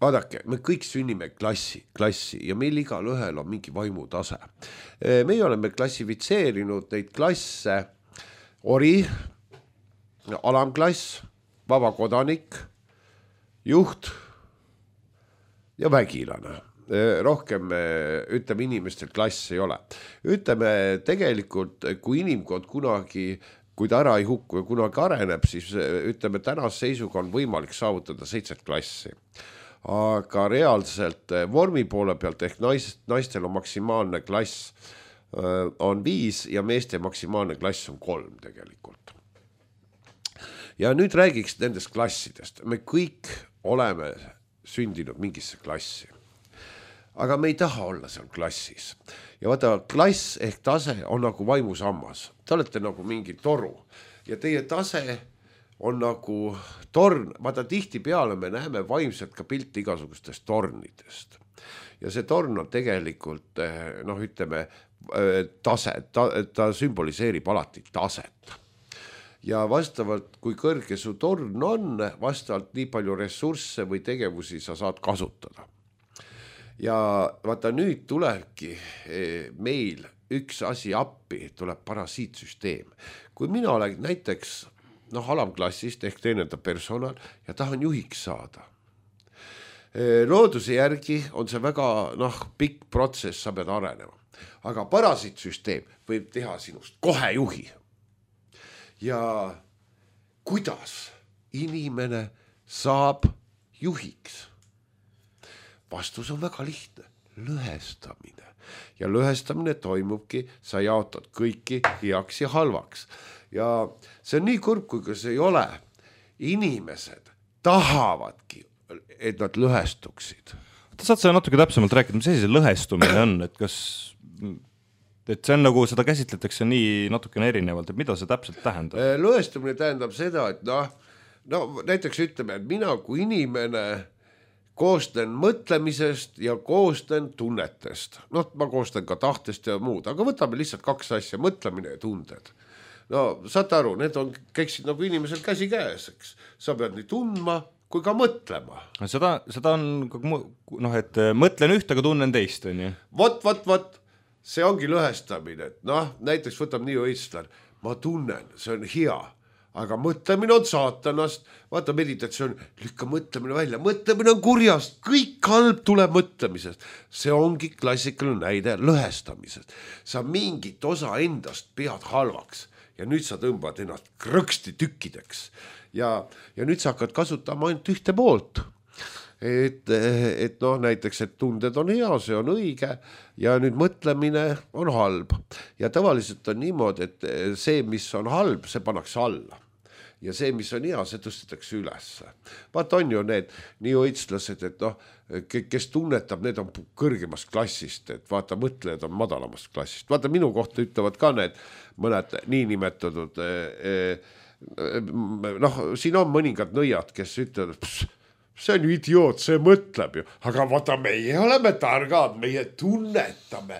C: Vaadake, me kõik sünnime klassi ja meil igal ühel on mingi vaimutase. Me oleme klassifitseerinud neid klasse ori, alamklass, vabakodanik, juht ja vägilane. Rohkem, ütleme, inimestel klass ei ole. Ütleme, tegelikult, kui inimkond kunagi, kui ta ära ei hukku ja kunagi areneb, siis ütleme, tänase seisuga on võimalik saavutada 7 klassi. Aga reaalselt vormi poole pealt ehk naistel on maksimaalne klass on 5 ja meeste maksimaalne klass on 3 tegelikult. Ja nüüd räägiks nendest klassidest. Me kõik oleme sündinud mingisse klassi. Aga me ei taha olla seal klassis. Ja vaata, klass ehk tase on nagu vaimusammas. Te olete nagu mingi toru ja teie tase on nagu torn. Vaata, tihti peale me näeme vaimselt ka pilti igasugustest tornidest. Ja see torn on tegelikult, ütleme, tase, ta sümboliseerib alati taset. Ja vastavalt, kui kõrge su torn on, vastavalt nii palju ressursse või tegevusi sa saad kasutada. Ja vaata, nüüd tulebki meil üks asi appi, tuleb parasiitsüsteem. Kui mina olen näiteks alamklassist ehk teenenda personal ja tahan juhiks saada. Looduse järgi on see väga pikk protsess, sa pead arenema. Aga parasiitsüsteem võib teha sinust kohe juhi. Ja kuidas inimene saab juhiks? Vastus on väga lihtne. Lõhestamine. Ja lõhestamine toimubki, sa jaotad kõiki heaks ja halvaks. Ja see on nii kurb, kui see ei ole. Inimesed tahavadki, et nad lõhestuksid.
B: Saad sa natuke täpsemalt rääkida, mis see lõhestumine on, et see on nagu, seda käsitletakse nii natukene erinevalt, et mida see täpselt tähendab?
C: Lõhestumine tähendab seda, et näiteks ütleme, et mina kui inimene koostan mõtlemisest ja koostan tunnetest. Ma koostan ka tahtest ja muud, aga võtame lihtsalt 2 asja, mõtlemine ja tunded. Saate aru, need käiksid nagu inimesel käsi käes, eks. Sa pead nii tundma kui ka mõtlema.
B: Seda on, et mõtlen üht, aga tunnen teist, on ju?
C: Vot, see ongi lõhestamine. Näiteks võtab nii õitslar, ma tunnen, see on hea, aga mõtlemine on saatanast. Vaata, meditatsioon, lükka mõtlemine välja. Mõtlemine on kurjast, kõik halb tuleb mõtlemisest. See ongi klassikaline näide lõhestamisest. Sa mingit osa endast pead halvaks ja nüüd sa tõmbad ennast krõksti tükkideks. Ja nüüd sa hakkad kasutama ainult ühte poolt. Et näiteks, et tunded on hea, see on õige ja nüüd mõtlemine on halb. Ja tavaliselt on niimoodi, et see, mis on halb, see pannakse alla. Ja see, mis on hea, see tõstetakse üles. Vaata, on ju need nii õitslased, et kes tunnetab, need on kõrgemast klassist, et vaata, mõtlejad on madalamast klassist. Vaata, minu kohta ütlevad ka need mõned niinimetatud, siin on mõningad nõiad, kes ütlevad, see on ju idioot, see mõtleb ju, aga vaata, meie oleme targad, meie tunnetame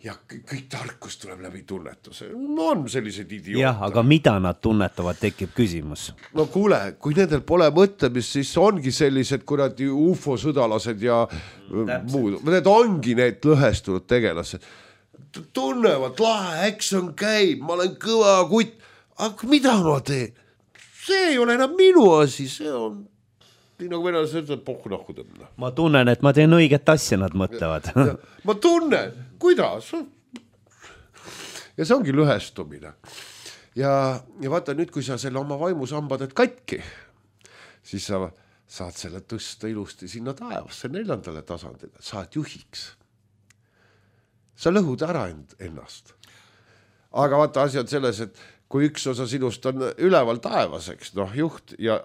C: ja kõik tarkus tuleb läbi tunnetuse. No on sellised idioote.
A: jah, aga mida nad tunnetavad, tekib küsimus.
C: No kuule, kui nendel pole mõtlemist, siis ongi sellised kuradi ufo-sõdalased ja muud. Need ongi need lõhestunud tegelased. Tunnevad, lahe, action käib, ma olen kõva kutt. Aga mida ma teen? See ei ole enam minu asi, see on... Nii nagu venelased ütlevad, pohku nahku tõmna.
A: Ma tunnen, et ma teen õiget asja, nad mõtlevad.
C: Ma tunnen, kuidas? Ja see ongi lõhestumine. Ja vaata nüüd, kui sa selle oma vaimusambad et katki, siis sa saad selle tõsta ilusti sinna taevasse 4. tasandile, saad juhiks. Sa lõhud ära ennast. Aga vaata, asi on selles, et kui üks osa sinust on üleval taevaseks, noh juht ja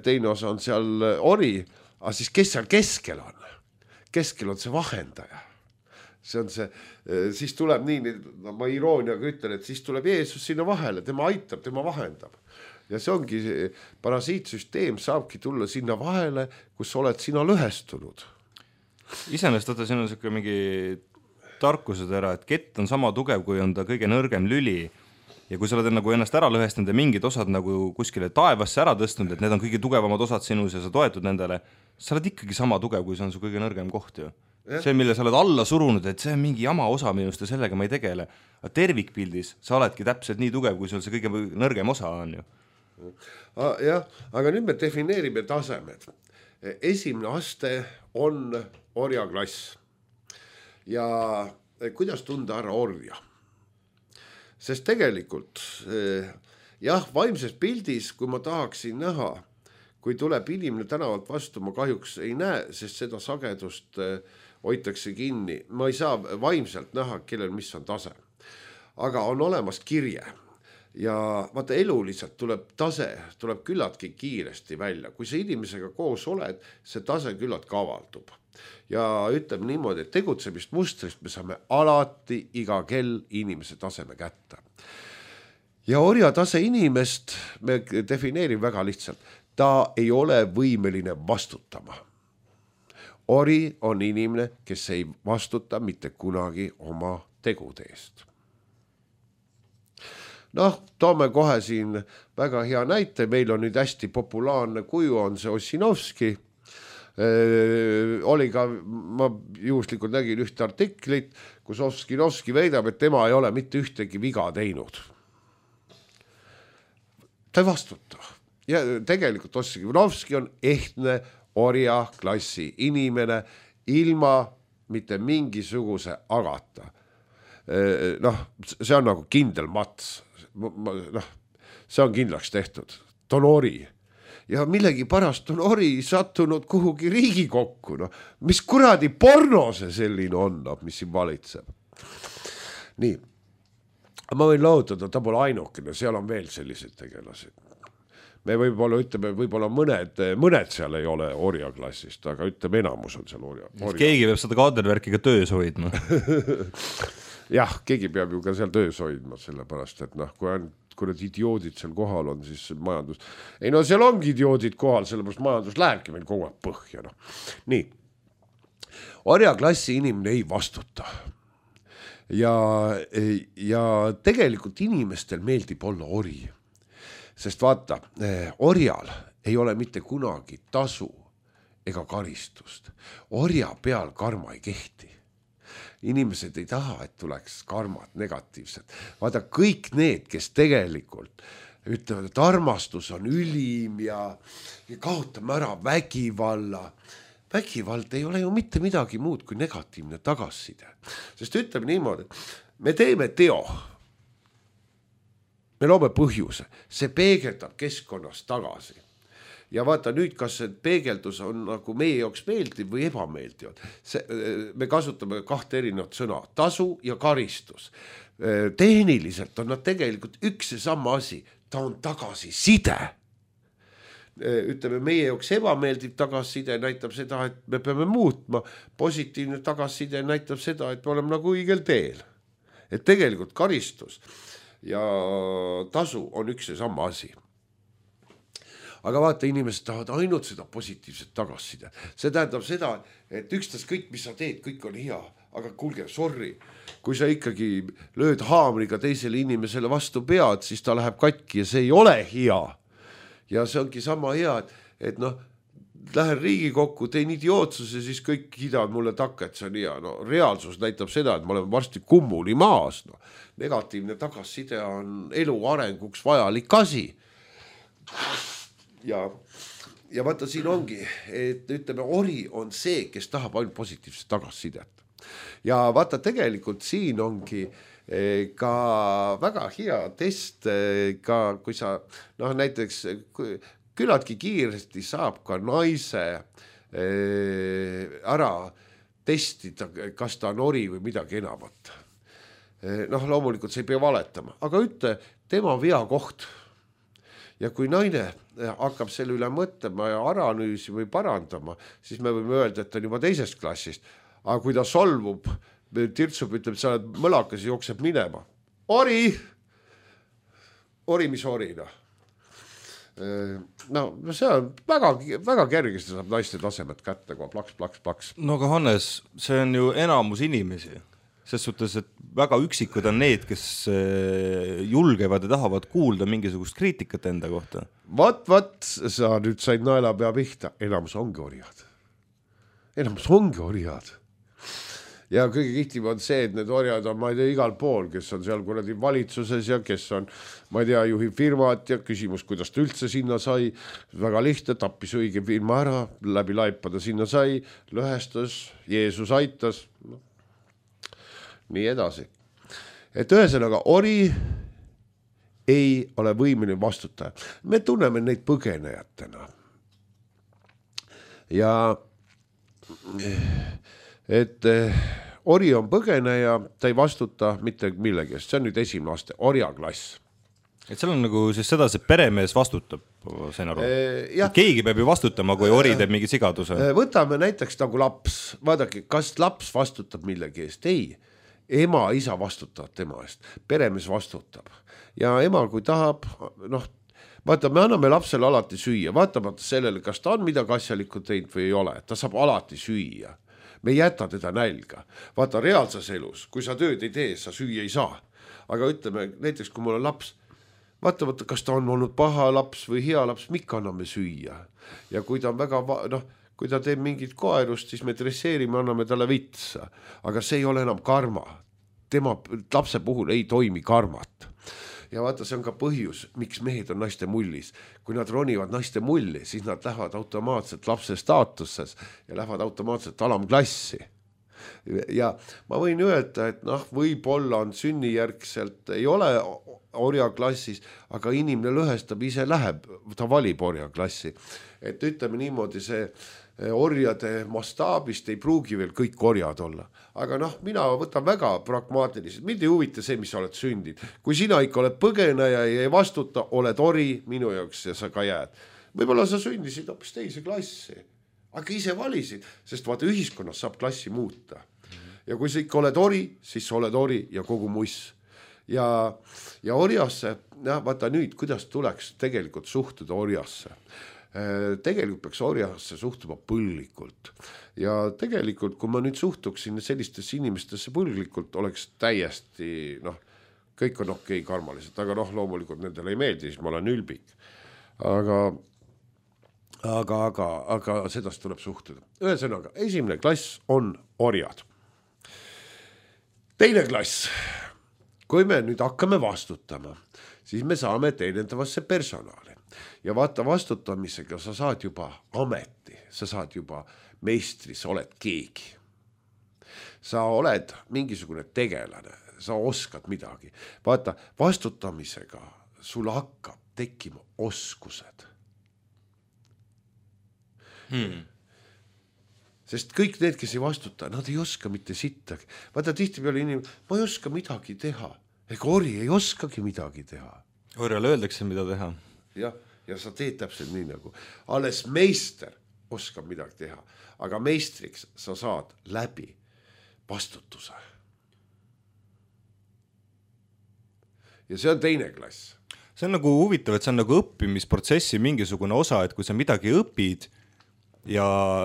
C: teine osa on seal ori, aga siis kes seal keskel on? Keskel on see vahendaja. See on see, siis tuleb nii, no ma irooniaga ütlen, et siis tuleb Jeesus sinna vahele, tema aitab, tema vahendab. Ja see ongi, parasiitsüsteem saabki tulla sinna vahele, kus oled sina lõhestunud.
B: Iseenesest võtta siin on selline mingi tarkused ära, et kett on sama tugev, kui on ta kõige nõrgem lüli. Ja kui sa oled nagu ennast ära lõhestanud ja mingid osad nagu kuskile taevasse ära tõstnud, et need on kõige tugevamad osad sinus ja sa toetud nendele, sa oled ikkagi sama tugev, kui see on su kõige nõrgem koht ju. See, mille sa oled alla surunud, et see on mingi jama osa minust ja sellega ma ei tegele. Aga tervikpildis sa oledki täpselt nii tugev, kui sul see kõige nõrgem osa on ju.
C: Jah, aga nüüd me defineerime tasemed. Esimene aste on orjaklass. Ja kuidas tunda ära orja? Sest tegelikult, jah, vaimses pildis, kui ma tahaksin näha, kui tuleb inimene tänavalt vastu, ma kahjuks ei näe, sest seda sagedust hoitakse kinni. Ma ei saa vaimselt näha, kellel mis on tase. Aga on olemas kirje. Ja vaata, elu lihtsalt tuleb tase, tuleb küllaltki kiiresti välja. Kui sa inimesega koos oled, see tase küllaltki avaldub. Ja ütleme niimoodi, et tegutsemist mustrist me saame alati iga kell inimese taseme kätte. Ja orja tase inimest me defineerime väga lihtsalt. Ta ei ole võimeline vastutama. Ori on inimene, kes ei vastuta mitte kunagi oma tegude eest. Noh, toome kohe siin väga hea näite. Meil on nüüd hästi populaarne kuju, on see Ossinovski. Oli ka, ma juhuslikult nägin ühte artiklit, kus Ossinovski väidab, et tema ei ole mitte ühtegi viga teinud. Ta ei vastuta. Ja tegelikult Ossinovski on ehtne orja klassi inimene ilma mitte mingisuguse agata. Noh, see on nagu kindel mats. Noh, see on kindlaks tehtud. Ta on ori. Ja millegi pärast on ori sattunud kuhugi Riigikokku. No, mis kuradi porno see selline on, mis siin valitseb. Nii. Ma võin lahutada, ta pole ainukene, seal on veel sellised tegelased. Me võib-olla ütleme, võib-olla mõned seal ei ole orja klassist, aga ütleme, enamus on seal orja.
B: Keegi peab seda kaadervärki ka töös hoidma.
C: Jah, keegi peab ju ka seal töös hoidma, sellepärast, et noh, kui need idioodid seal kohal on, siis majandus... Ei no seal ongi idioodid kohal, sellepärast majandus lähebki meil kogu aeg põhja. No. Nii. Orja klassi inimene ei vastuta. Ja tegelikult inimestel meeldib olla ori. Sest vaata, orjal ei ole mitte kunagi tasu ega karistust. Orja peal karma ei kehti. Inimesed ei taha, et tuleks karmad negatiivsed. Vaata, kõik need, kes tegelikult ütlevad, et armastus on ülim ja kaotame ära vägivalla. Vägivald ei ole ju mitte midagi muud kui negatiivne tagasiside. Sest ütleme niimoodi, me teeme teo. Me loome põhjuse. See peegeldab keskkonnast tagasi. Ja vaata nüüd, kas see peegeldus on nagu meie jaoks meeldiv või ebameeldiv. Me kasutame kahte erinevat sõna, tasu ja karistus. Tehniliselt on nad tegelikult üks ja sama asi, ta on tagasiside. Ütleme, meie jaoks ebameeldiv tagasiside näitab seda, et me peame muutma. Positiivne tagasiside näitab seda, et me oleme nagu õigel teel. Et tegelikult karistus ja tasu on üks ja sama asi. Aga vaata, inimesed tahavad ainult seda positiivset tagasiside. See tähendab seda, et ükstas kõik, mis sa teed, kõik on hea. aga kuulge, sorry, kui sa ikkagi lööd haamriga teisele inimesele vastu pead, siis ta läheb katki ja see ei ole hea. Ja see ongi sama hea, et noh, lähen Riigikokku, teen idiootsuse, siis kõik kiidavad mulle takka, et see on hea. No, reaalsus näitab seda, et me oleme varsti kummuli maas. No. Negatiivne tagasiside on elu arenguks vajalik asi. Ja vaata, siin ongi, et ütleme, ori on see, kes tahab ainult positiivset tagasisidet. Ja vaata, tegelikult siin ongi ka väga hea test, ka kui sa, noh, näiteks küllaltki kiiresti saab ka naise ära testida, kas ta on ori või midagi enamat. Noh, loomulikult see ei pea valetama, aga ütle tema veakoht. Ja kui naine hakkab selle üle mõtlema ja analüüsi või parandama, siis me võime öelda, et ta on juba teisest klassist. Aga kui ta solvub, tirtsub, ütleb, sa oled mõlakas ja jookseb minema. Ori! Ori, mis ori, noh. No see on väga kergesti saab naiste tasemed kätte, kui plaks.
B: No aga Hannes, see on ju enamus inimesi. Ses suhtes, et väga üksikud on need, kes julgevad ja tahavad kuulda mingisugust kriitikat enda kohta.
C: Vat, sa nüüd said naelapea pihta. Enamus ongi orjad. Ja kõige kihtim on see, et need orjad on, ma ei tea, igal pool, kes on seal kuradi valitsuses ja kes on, ma ei tea, juhib firmat ja küsimus, kuidas ta üldse sinna sai. Väga lihtne, tappis õige firma ära, läbi laipada sinna sai, lõhestas, Jeesus aitas. Nii edasi. Et ühesõnaga, ori ei ole võimeline vastutaja. Me tunneme neid põgenejatena. Ja et ori on põgeneja, ta ei vastuta mitte millegi. See on nüüd esimene aste, orjaklass.
B: Et seal on nagu siis seda, see peremees vastutab, sain aru. Keegi peab ju vastutama, kui ori teeb mingi sigaduse.
C: Võtame näiteks nagu laps. Vaadake, kas laps vastutab millegi eest? Ei. Ema, isa vastutavad tema eest, peremees vastutab ja ema, kui tahab, noh, vaata, me anname lapsele alati süüa, vaatamata sellele, kas ta on midagi asjalikku teinud või ei ole, ta saab alati süüa, me ei jäta teda nälga, vaata reaalses elus, kui sa tööd ei tee, sa süüa ei saa, aga ütleme, näiteks kui mul on laps, vaata, kas ta on olnud paha laps või hea laps, mikka anname süüa ja kui ta on väga, noh, kui ta teeb mingit koerust, siis me dresseerime, anname talle vitsa. Aga see ei ole enam karma. Tema lapse puhul ei toimi karmat. Ja vaata, see on ka põhjus, miks mehed on naiste mullis. Kui nad ronivad naiste mulli, siis nad lähevad automaatselt lapse staatuses ja lähevad automaatselt alamklassi. Ja ma võin öelda, et noh, võib-olla on sünnijärgselt, ei ole orjaklassis, aga inimene lõhestab, ise läheb, ta valib orjaklassi. Et ütleme niimoodi, see orjade mastaabist ei pruugi veel kõik orjad olla. Aga noh, mina võtan väga pragmaatiliselt, mind ei huvita see, mis sa oled sündid. Kui sina ikka oled põgeneja ja ei vastuta, oled ori minu jaoks ja sa ka jääd. Võib-olla sa sündisid hoopis teise klassi. Aga ise valisid, sest vaata ühiskonnas saab klassi muuta. Ja kui sa ikka oled ori, siis sa oled ori ja kogu muss. Ja orjasse, vaata nüüd, kuidas tuleks tegelikult suhtuda orjasse. Tegelikult peaks orjasse suhtuma põlglikult. Ja tegelikult, kui ma nüüd suhtuksin sellistesse inimestesse põlglikult, oleks täiesti, noh, kõik on okei karmaliselt, aga noh, loomulikult nendele ei meeldi, siis ma olen ülbik. Aga sedast tuleb suhtuda. Ühesõnaga, esimene klass on orjad. Teine klass, kui me nüüd hakkame vastutama, siis me saame teenendavasse personali. Ja vaata, vastutamisega sa saad juba ameti, sa saad juba meistri, sa oled keegi. Sa oled mingisugune tegelane, sa oskad midagi. Vaata, vastutamisega sul hakkab tekkima oskused. Sest kõik need, kes ei vastuta, nad ei oska mitte sittagi. Vaata, tihti peale inimene, ma ei oska midagi teha. Ega ori ei oskagi midagi teha.
B: Orjale öeldakse, mida teha.
C: Ja sa teed täpselt nii nagu. Alles meister oskab midagi teha. Aga meistriks sa saad läbi vastutuse. Ja see on teine klass.
B: See on nagu huvitav, et see on nagu õppimisprotsessi mingisugune osa, et kui sa midagi õpid ja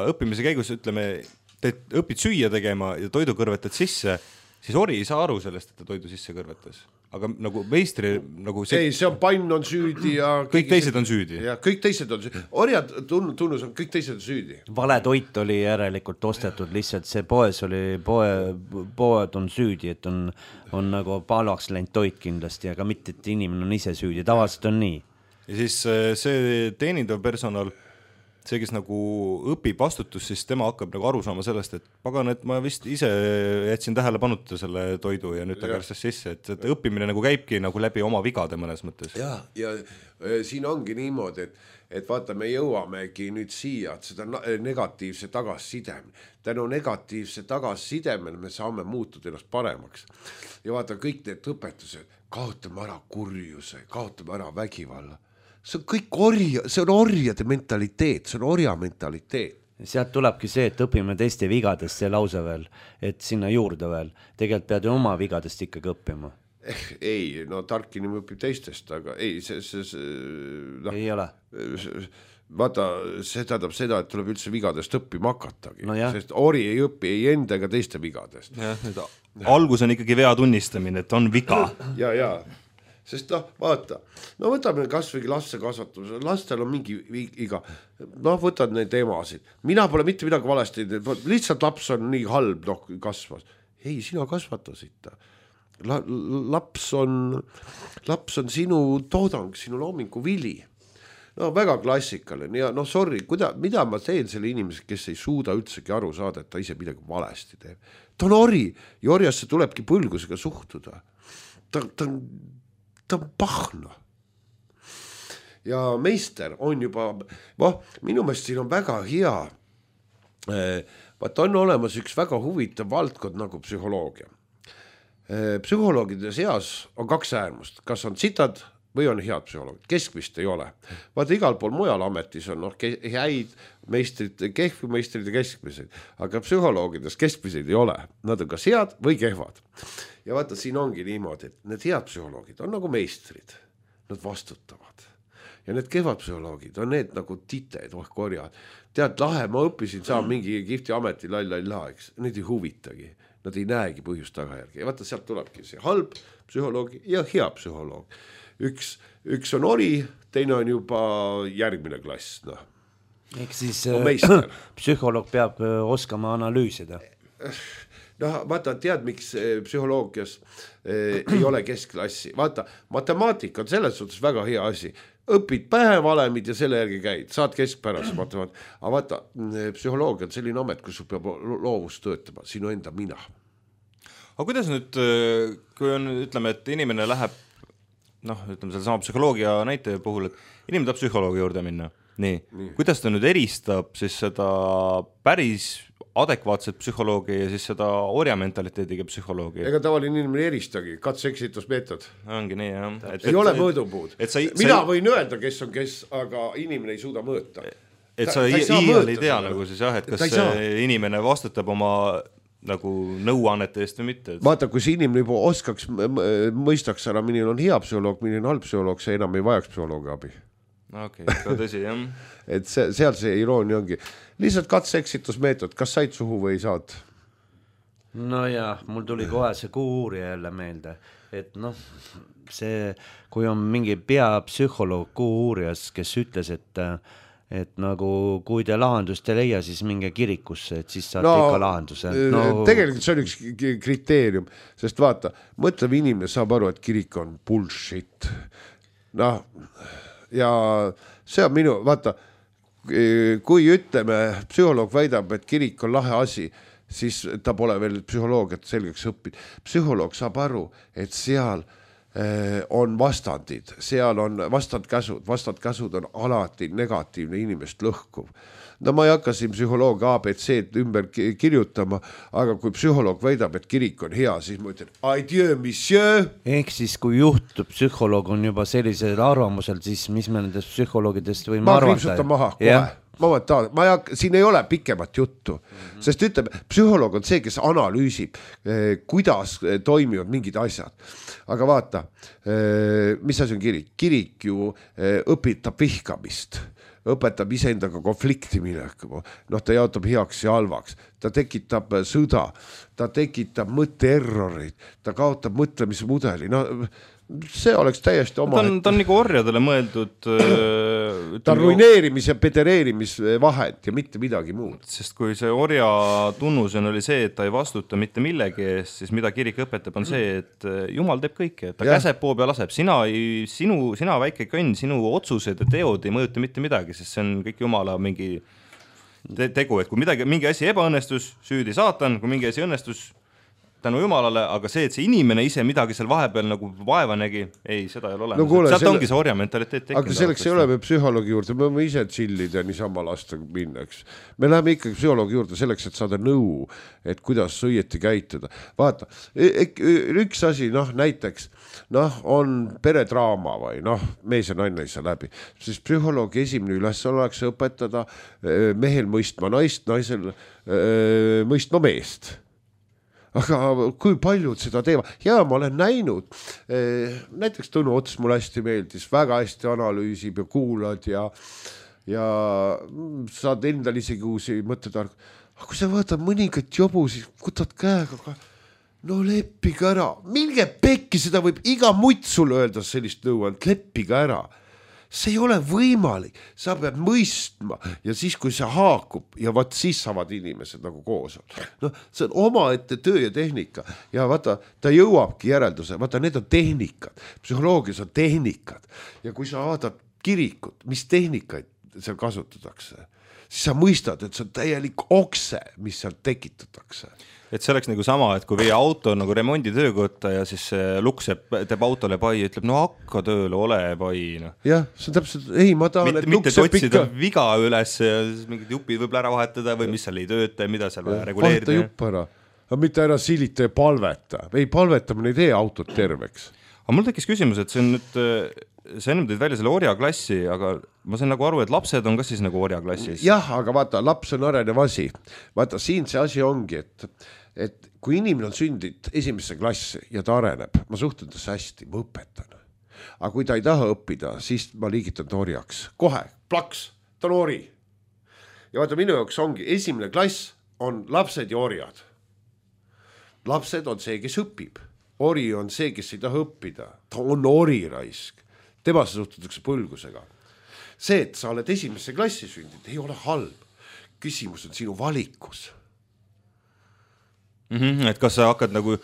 B: õppimise käigus, ütleme, õpid süüa tegema ja toidu kõrvetad sisse, siis ori ei saa aru sellest, et ta toidu sisse kõrvetas. Aga nagu meistri nagu
C: ei, see on pann on süüdi ja
B: kõik teised on süüdi.
C: Ja kõik teised on süüdi. Orjad tunnus on kõik teised on süüdi.
A: Vale toit oli järelikult ostetud lihtsalt, see poes oli, poed on süüdi, et on nagu palvaks läinud toit kindlasti, aga mitte, et inimene on ise süüdi, tavaliselt on nii.
B: Ja siis see teenindav personal, see, kes nagu õpib vastutus, siis tema hakkab nagu aru saama sellest, et pagan, et ma vist ise jätsin tähele panuta selle toidu ja nüüd ta kärstas sisse, et õppimine nagu käibki nagu läbi oma vigade mõnes mõttes.
C: Ja siin ongi niimoodi, et vaata, me jõuamegi nüüd siia, et seda negatiivse tagasisidem. Tänu negatiivse tagasisidemel me saame muutuda ennast paremaks. Ja vaata, kõik need õpetused, kaotame ära kurjuse, kaotame ära vägivalla. See on kõik see on orjade mentaliteet, see on orja mentaliteet.
A: Sealt tulebki see, et õpime teiste vigadest see lause veel, et sinna juurde veel. Tegelikult pead ju oma vigadest ikkagi õppima.
C: Ei, no tark inimene õpib teistest, aga ei,
A: no, ei ole.
C: Vaata, see tähendab seda, et tuleb üldse vigadest õppima hakatagi,
A: no
C: sest ori ei õpi ei enda ega teiste vigadest.
B: Algus on ikkagi vea tunnistamine, et on viga.
C: Ja. Sest vaata, võtame kasvõi laste kasvatuse, lastel on mingi iga, võtad neid emasid, mina pole mitte midagi valesti, lihtsalt laps on nii halb, kasvas. Ei, sina kasvatasid ta. Laps on sinu toodang, sinu loomingu vili. No väga klassikaline ja sorry, mida ma teen selle inimese, kes ei suuda üldsegi aru saada, et ta ise midagi valesti teeb. Ta on ori ja orjasse tulebki põlgusega suhtuda. Ta on pahna. Ja meister on juba, minu meelest siin on väga hea, vaat on olemas üks väga huvitav valdkond nagu psühholoogia. Psühholoogide seas on kaks äärmust, kas on sitad või on head psühholoogid, keskvist ei ole. Vaata igal pool mujal ametis on häid meistrid, kehvi meistrid ja keskmised, aga psühholoogides keskmiseid ei ole, nad on kas head või kehvad. Ja vaata, siin ongi niimoodi, et need head psühholoogid on nagu meistrid, nad vastutavad. Ja need kehvad psühholoogid on need nagu tited, korjad. Tead, lahe, ma õppisin, saan mingi kihvti ameti, eks. Need ei huvitagi, nad ei näegi põhjust tagajärgi. Ja vaata, sealt tulebki see halb psühholoog ja hea psühholoog. Üks on ori, teine on juba järgmine klass.
A: Ehk siis psühholoog peab oskama analüüsida.
C: Vaata, tead, miks psühholoogias ei ole keskklassi. Vaata, matemaatika on selles suhtes väga hea asi. Õpid päevalemid ja selle järgi käid, saad keskpärast matemaatika. Aga vaata, psühholoogia on selline amet, kus sul peab loovus töötama, sinu enda mina.
B: Aga kuidas nüüd, kui on, ütleme, et inimene läheb, ütleme selle sama psühholoogia näite puhul, et inimene tahab psühholoogi juurde minna. Nii. Kuidas ta nüüd eristab siis seda päris adekvaatset psühholoogi ja siis seda orja mentaliteediga psühholoogi?
C: Ega tavaline inimene eristagi, katse-eksitusmeetod.
B: Ongi nii, jah.
C: Ei ole mõõdupuud. Mina võin öelda, kes on kes, aga inimene ei suuda mõõta.
B: Et sa iial ei tea nagu siis jah, et kas inimene vastutab oma nagu nõuannete eest või mitte.
C: Vaata, kui see inimene juba oskaks, mõistaks ära, milline on hea psühholoog, milline on halb psühholoog, see enam ei vajaks psühholoogi abi.
B: Okei, ka tõsi, jah.
C: Et seal see iroonia ongi. Lihtsalt katse-eksitusmeetod, kas said suhu või ei saad?
A: No jah, mul tuli kohe see kuuurija jälle meelde, et see, kui on mingi peapsühholoog kuuurijas, kes ütles, et nagu kui te lahendust ei leia, siis minge kirikusse, et siis saate ikka lahenduse.
C: Tegelikult see on üks kriteerium, sest vaata, mõtlev inimene saab aru, et kirik on bullshit. Ja see on minu, vaata, kui ütleme, psühholoog väidab, et kirik on lahe asi, siis ta pole veel psühholoogiat selgeks õppinud. Psühholoog saab aru, et seal on vastandid, seal on vastandkäsud on alati negatiivne inimest lõhkuv. Ma ei hakka siin psühholoogi ABC ümber kirjutama, aga kui psühholoog väidab, et kirik on hea, siis ma ütlen, adieu, monsieur.
A: Ehk siis, kui juhtub psühholoog on juba sellisel arvamusel, siis mis me nendest psühholoogidest võime arvata?
C: Ma kriipsutan maha, kohe. Siin ei ole pikemat juttu, sest ütleme, psühholoog on see, kes analüüsib, kuidas toimivad mingid asjad. Aga vaata, mis asi on kirik? Kirik ju õpitab vihkamist. õpetab iseendaga konflikti minekuma, ta jaotab heaks ja halvaks, ta tekitab sõda, ta tekitab mõtteerrorid, ta kaotab mõtlemise mudeli, see oleks täiesti oma.
B: Ta on nagu orjadele mõeldud.
C: Ta on ruineerimis- ja pedereerimise vahend ja mitte midagi muud.
B: Sest kui see orja tunnusena oli see, et ta ei vastuta mitte millegi eest, siis mida kirik õpetab on see, et Jumal teeb kõike, et ta käseb poo peal laseb. Sina väike kõnn, sinu otsused ja teod ei mõjuta mitte midagi, sest see on kõik Jumala mingi tegu, et kui mingi asi ebaõnnestus, süüdi saatan, kui mingi asi õnnestus, tänu Jumalale, aga see, et see inimene ise midagi seal vahepeal nagu vaeva nägi, ei, seda ei ole olemas. Sealt ongi see orja mentaliteet tekkinud.
C: Aga selleks ei ole me psühholoogi juurde, me võime ise chillida niisama lasta minna, eks. Me läheme ikkagi psühholoogi juurde selleks, et saada nõu, et kuidas õieti käituda. Vaata, üks asi, näiteks, on peredraama või mees ja naine ei saa läbi. Siis psühholoogi esimene üles oleks õpetada mehel mõistma naist, naisel mõistma meest. Aga kui paljud seda teevad? Jaa, ma olen näinud. Näiteks Tõnu Ots mulle hästi meeldis, väga hästi analüüsib ja kuulad ja saad endal isegi uusi mõttetark. Aga kui sa vaatad mõningat jobu, siis kutad käega, leppige ära. Minge pekki, seda võib iga mutt sulle öelda sellist nõuand, leppige ära. See ei ole võimalik, sa pead mõistma ja siis, kui see haakub ja siis saavad inimesed nagu koos. See on omaette töö ja tehnika ja vaata, ta jõuabki järelduse, vaata, need on tehnikad, psühholoogias on tehnikad ja kui sa vaatad kirikut, mis tehnikaid seal kasutatakse, siis sa mõistad, et see on täielik okse, mis seal tekitatakse.
B: Et see oleks nagu sama, et kui viia auto nagu remonditöökotta ja siis luks teeb autole pai ja ütleb, hakka tööle, ole pai.
C: Jah, see on täpselt, ma tahan,
B: et luks seeb otsida viga üles ja siis mingid jupid võib ära vahetada või mis seal ei tööta ja mida seal reguleerida.
C: Vaheta jupp ära, aga mitte ära silita ja palveta. Ei, palvetamine ei tee autot terveks.
B: Aga mul tekkis küsimus, et see on nüüd... See ennem tõid välja selle orjaklassi, aga ma sain nagu aru, et lapsed on ka siis nagu orjaklassis.
C: Jah, aga vaata, laps on arenev asi. Vaata, siin see asi ongi, et kui inimene on sündinud esimesse klassi ja ta areneb, ma suhtun tasse hästi, ma õpetan. Aga kui ta ei taha õppida, siis ma liigitan ta orjaks. Kohe, plaks, ta on ori. Ja vaata, minu jaoks ongi, esimene klass on lapsed ja orjad. Lapsed on see, kes õpib. Ori on see, kes ei taha õppida. Ta on ori raisk. Temasse suhtutakse põlgusega. See, et sa oled esimesse klassi sündid, ei ole halb. Küsimus on sinu valikus.
B: Et kas sa hakkad nagu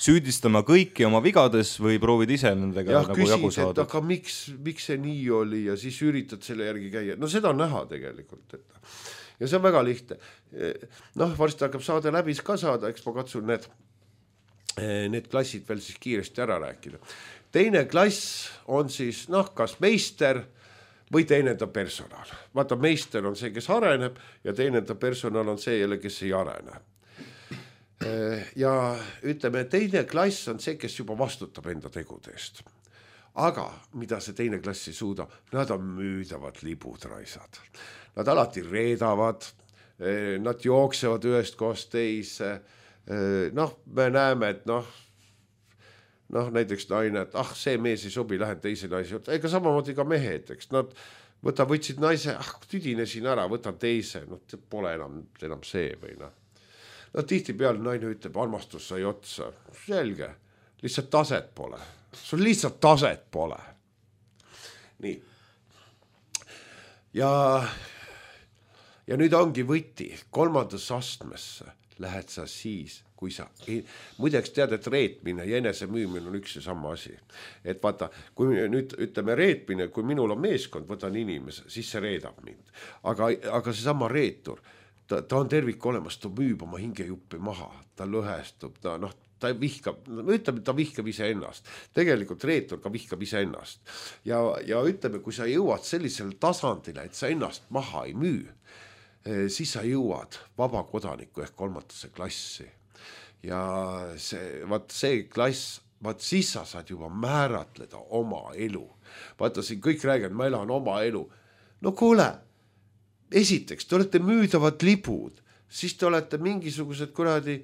B: süüdistama kõiki oma vigades või proovid ise nendega nagu jagu saada?
C: Et aga miks see nii oli ja siis üritad selle järgi käia. Seda on näha tegelikult. Ja see on väga lihtne. Varsti hakkab saade läbi ka saada, eks ma katsun need klassid veel siis kiiresti ära rääkida. Teine klass on siis, kas meister või teenenda personal. Vaata, meister on see, kes areneb ja teenenda personal on see jälle, kes ei arene. Ja ütleme, teine klass on see, kes juba vastutab enda tegudest. Aga mida see teine klass ei suuda? Nad on müüdavad libud raisad. Nad alati reedavad, nad jooksevad ühest kohast teise. Me näeme, et näiteks naine, et see mees ei sobi, lähen teise naise juurde. Ega samamoodi ka mehed, eks. Nad võtsid naise, tüdinesin ära, võtan teise. Pole enam see või tihti peale naine ütleb, armastus sai otsa. Selge, lihtsalt taset pole. Sul lihtsalt taset pole. Nii. Ja nüüd ongi võti 3. astmesse lähed sa siis, kui sa muideks tead, et reetmine ja enese müümine on üks ja sama asi. Et vaata, kui nüüd ütleme reetmine, kui minul on meeskond, võtan inimese, siis see reedab mind. Aga see sama reetur, ta on tervik olemas, ta müüb oma hingejuppi maha, ta lõhestub, ta vihkab, ütleme, ta vihkab ise ennast. Tegelikult reetur ka vihkab ise ennast. Ja ütleme, kui sa jõuad sellisele tasandile, et sa ennast maha ei müü, siis sa jõuad vabakodaniku ehk 3. klassi. Ja see klass, siis sa saad juba määratleda oma elu. Vaata, siin kõik räägivad, ma elan oma elu. Kuule, esiteks, te olete müüdavad libud, siis te olete mingisugused kuradi,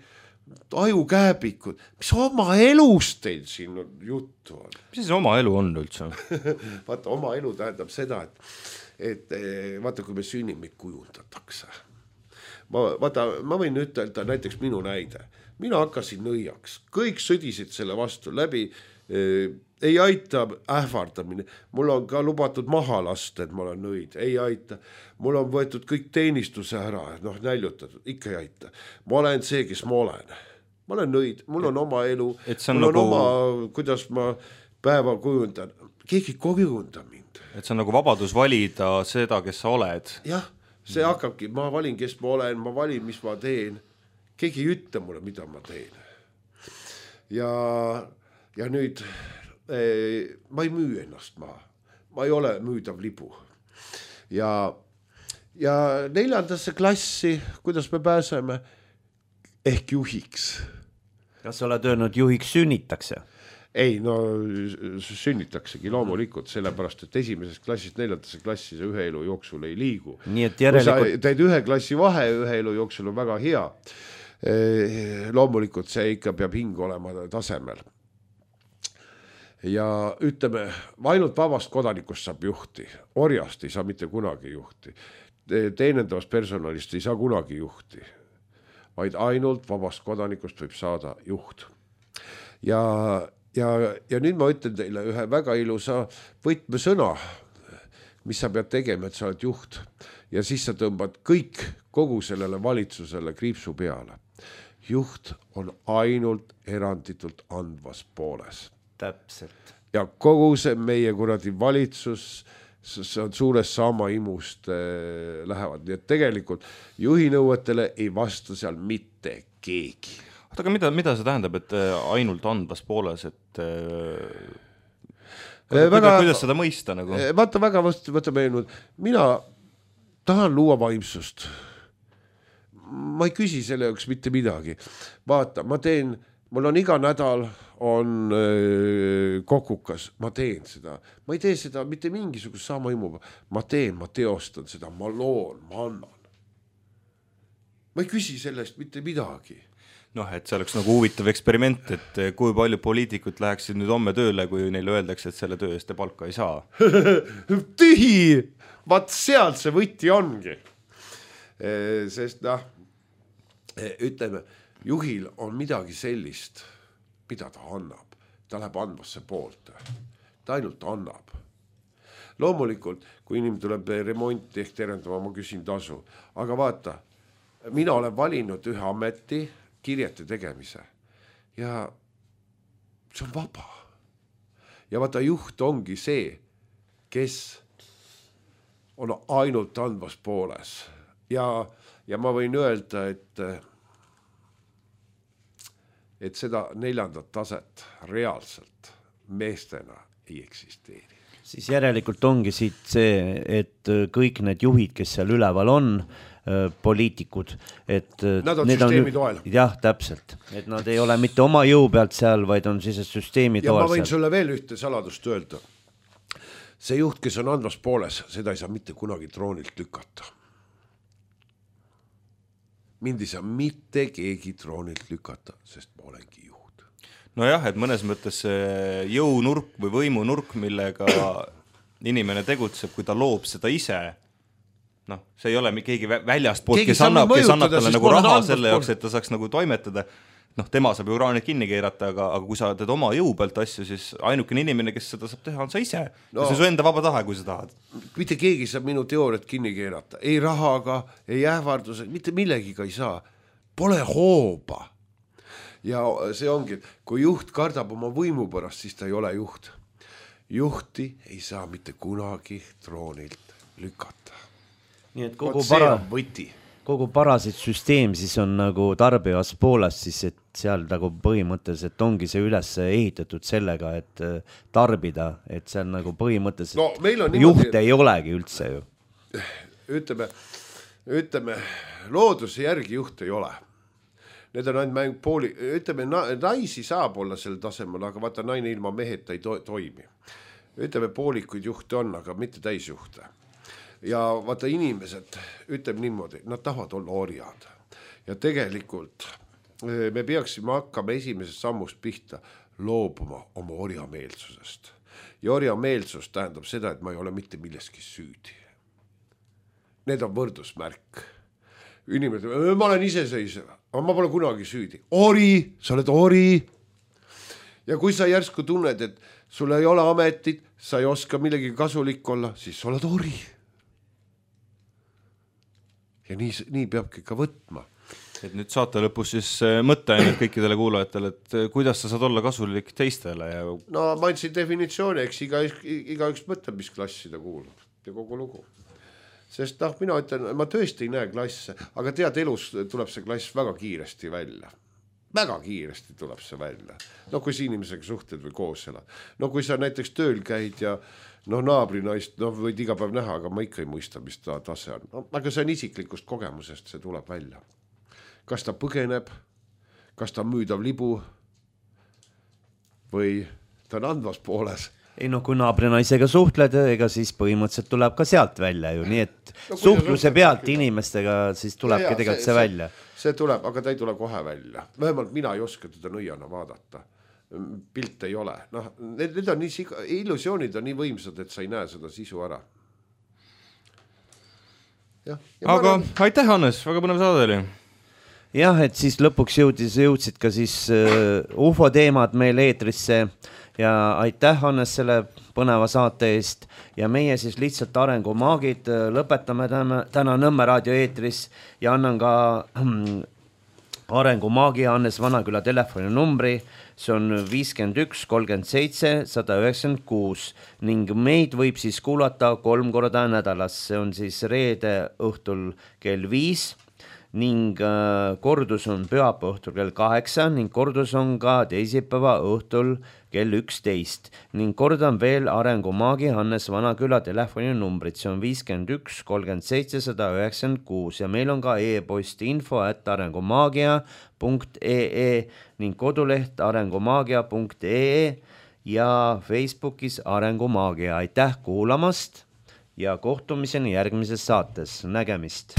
C: ajukääbikud, mis oma elust teil siin juttu on?
B: Mis siis oma elu on üldse?
C: Vaata, oma elu tähendab seda, et vaata, kui me sünnime, kujundatakse. Ma võin ütelda näiteks minu näide. Mina hakkasin nõiaks, kõik sõdisid selle vastu läbi, ei aita ähvardamine, mul on ka lubatud maha lasta, et ma olen nõid, ei aita, mul on võetud kõik teenistuse ära, näljutatud, ikka ei aita, ma olen see, kes ma olen nõid, mul on oma elu, mul
B: nagu...
C: on oma, kuidas ma päeva kujundan, keegi ei kujunda mind.
B: Et see on nagu vabadus valida seda, kes sa oled.
C: Jah, see hakkabki, ma valin, kes ma olen, ma valin, mis ma teen, keegi ei ütle mulle, mida ma teen. Ja nüüd ma ei müü ennast maha, ma ei ole müüdav libu. Ja 4. klassi, kuidas me pääseme, ehk juhiks.
A: Kas sa oled öelnud, juhiks sünnitakse?
C: Ei, no sünnitaksegi loomulikult, sellepärast, et 1. klassist 4. klassi see ühe elu jooksul ei liigu.
A: Nii et järelikult...
C: Kui sa teed 1 klassi vahe, ühe elu jooksul on väga hea. Loomulikult see ikka peab hing olema tasemel. Ja ütleme, ainult vabast kodanikust saab juhti, orjast ei saa mitte kunagi juhti, teenendavast personalist ei saa kunagi juhti, vaid ainult vabast kodanikust võib saada juht. Ja nüüd ma ütlen teile ühe väga ilusa võtmesõna, mis sa pead tegema, et sa oled juht. Ja siis sa tõmbad kogu sellele valitsusele kriipsu peale. Juht on ainult eranditult andvas pooles.
A: Täpselt.
C: Ja kogu see meie kuradi valitsus, see on suures sama imust lähevad. Nii et tegelikult juhinõuetele ei vasta seal mitte keegi.
B: Aga mida see tähendab, et ainult andvas pooles, et kuidas seda mõista? Nagu?
C: Vaata väga vastu meenud. Mina tahan luua vaimsust. Ma ei küsi selle jaoks mitte midagi. Vaata, mul on iga nädal on kokukas, ma teen seda. Ma ei tee seda mitte mingisugust sama imuga. Ma teostan seda, ma loon, ma annan. Ma ei küsi sellest mitte midagi.
B: Et see oleks nagu huvitav eksperiment, et kui palju poliitikud läheksid nüüd homme tööle, kui neile öeldakse, et selle töö eest te palka ei saa.
C: Tühi! Vaat sealt see võti ongi. Sest ütleme, juhil on midagi sellist, mida ta annab. Ta läheb andvasse poolt. Ta ainult annab. Loomulikult, kui inimene tuleb remonti ehk terendama, ma küsin tasu. Aga vaata, mina olen valinud ühe ameti kirjete tegemise. Ja see on vaba. Ja vaata, juht ongi see, kes on ainult andvas pooles. Ja ma võin öelda, et seda 4. taset reaalselt meestena ei eksisteeri.
A: Siis järelikult ongi siit see, et kõik need juhid, kes seal üleval on, poliitikud, et
C: nad on süsteemi toel.
A: Jah, täpselt. Et nad ei ole mitte oma jõu pealt seal, vaid on siis süsteemi toel.
C: Ja ma võin sulle veel ühte saladust öelda. See juht, kes on andvas pooles, seda ei saa mitte kunagi troonilt lükata. Mind ei saa mitte keegi troonilt lükata, sest ma olengi juht.
B: Nojah, et mõnes mõttes jõunurk või võimunurk, millega inimene tegutseb, kui ta loob seda ise, see ei ole keegi väljast poolt, kes annab talle nagu raha selle jaoks, et ta saaks nagu toimetada. Tema saab ju raanid kinni keerata, aga kui sa teed oma jõu pealt asju, siis ainukene inimene, kes seda saab teha, on sa ise. Ja see on su enda vaba tahe, kui sa tahad.
C: Mitte keegi saab minu teooriat kinni keerata. Ei rahaga, ei ähvarduse, mitte millegiga ei saa. Pole hooba. Ja see ongi, kui juht kardab oma võimu pärast, siis ta ei ole juht. Juhti ei saa mitte kunagi troonilt lükata.
A: Nii et kogu parasit süsteem siis on nagu tarbivas pooles, siis et seal nagu põhimõtteliselt ongi see üles ehitatud sellega, et tarbida, et seal nagu põhimõtteliselt juht ei olegi üldse ju.
C: Ütleme, looduse järgi juht ei ole. Need on ainult pooli, ütleme, naisi saab olla sel tasemel, aga vaata, naine ilma meheta ei toimi. Ütleme, poolikuid juhte on, aga mitte täisjuhte. Ja vaata, inimesed, ütleme niimoodi, nad tahavad olla orjad. Ja tegelikult me peaksime hakkama esimesest sammust pihta loobuma oma orjameelsusest. Ja orjameelsus tähendab seda, et ma ei ole mitte milleski süüdi. Need on võrdusmärk. Inimene, ma olen iseseisev, aga ma pole kunagi süüdi. Ori, sa oled ori. Ja kui sa järsku tunned, et sul ei ole ametit, sa ei oska millegi kasulik olla, siis sa oled ori. Ja nii peabki ka võtma.
B: Et nüüd saate lõpus siis mõtte ainult kõikidele kuulajatele, et kuidas sa saad olla kasulik teistele. Ja...
C: No ma andsin definitsiooni, eks igaüks mõtleb, mis klassi ta kuulub ja kogu lugu. Sest mina ütlen, ma tõesti ei näe klasse, aga tead, elus tuleb see klass väga kiiresti välja. Väga kiiresti tuleb see välja. No kui sa inimesega suhted või koos elad. No kui sa näiteks tööl käid ja naabrinaist, võid iga päev näha, aga ma ikka ei mõista, mis ta tase on. No, aga see on isiklikust kogemusest, see tuleb välja. Kas ta põgeneb, kas ta on müüdav libu või ta on andvas pooles.
A: Ei kui naabrinaisega suhtled, ega siis põhimõtteliselt tuleb ka sealt välja ju, nii et suhtluse pealt inimestega siis tulebki tegelikult see välja.
C: See tuleb, aga ta ei tule kohe välja. Vähemalt mina ei oska teda nõiana vaadata. Pilt ei ole. Need on illusioonid on nii võimsad, et sa ei näe seda sisu ära.
B: Aga aitäh, Hannes, väga põnev saade oli.
A: Jah, et siis lõpuks jõudsid ka siis UFO teemad meil eetrisse ja aitäh, Hannes, selle põneva saate eest ja meie siis lihtsalt arengumaagid lõpetame täna Nõmme raadio eetris ja annan ka arengumaagi Hannes Vanaküla telefoninumbri, see on 51 37 196 ning meid võib siis kuulata 3 korda nädalas, see on siis reede õhtul kell 5 ning kordus on pühapäeva õhtul kell 8 ning kordus on ka teisipäeva õhtul kell 11 ning kordan veel arengumaagi Hannes Vanaküla telefoninumbrit, see on 51 37 196 ja meil on ka e-post info@arengumaagia.ee ning koduleht arengumaagia.ee ja Facebookis Arengumaagia. Aitäh kuulamast ja kohtumiseni järgmises saates, nägemist!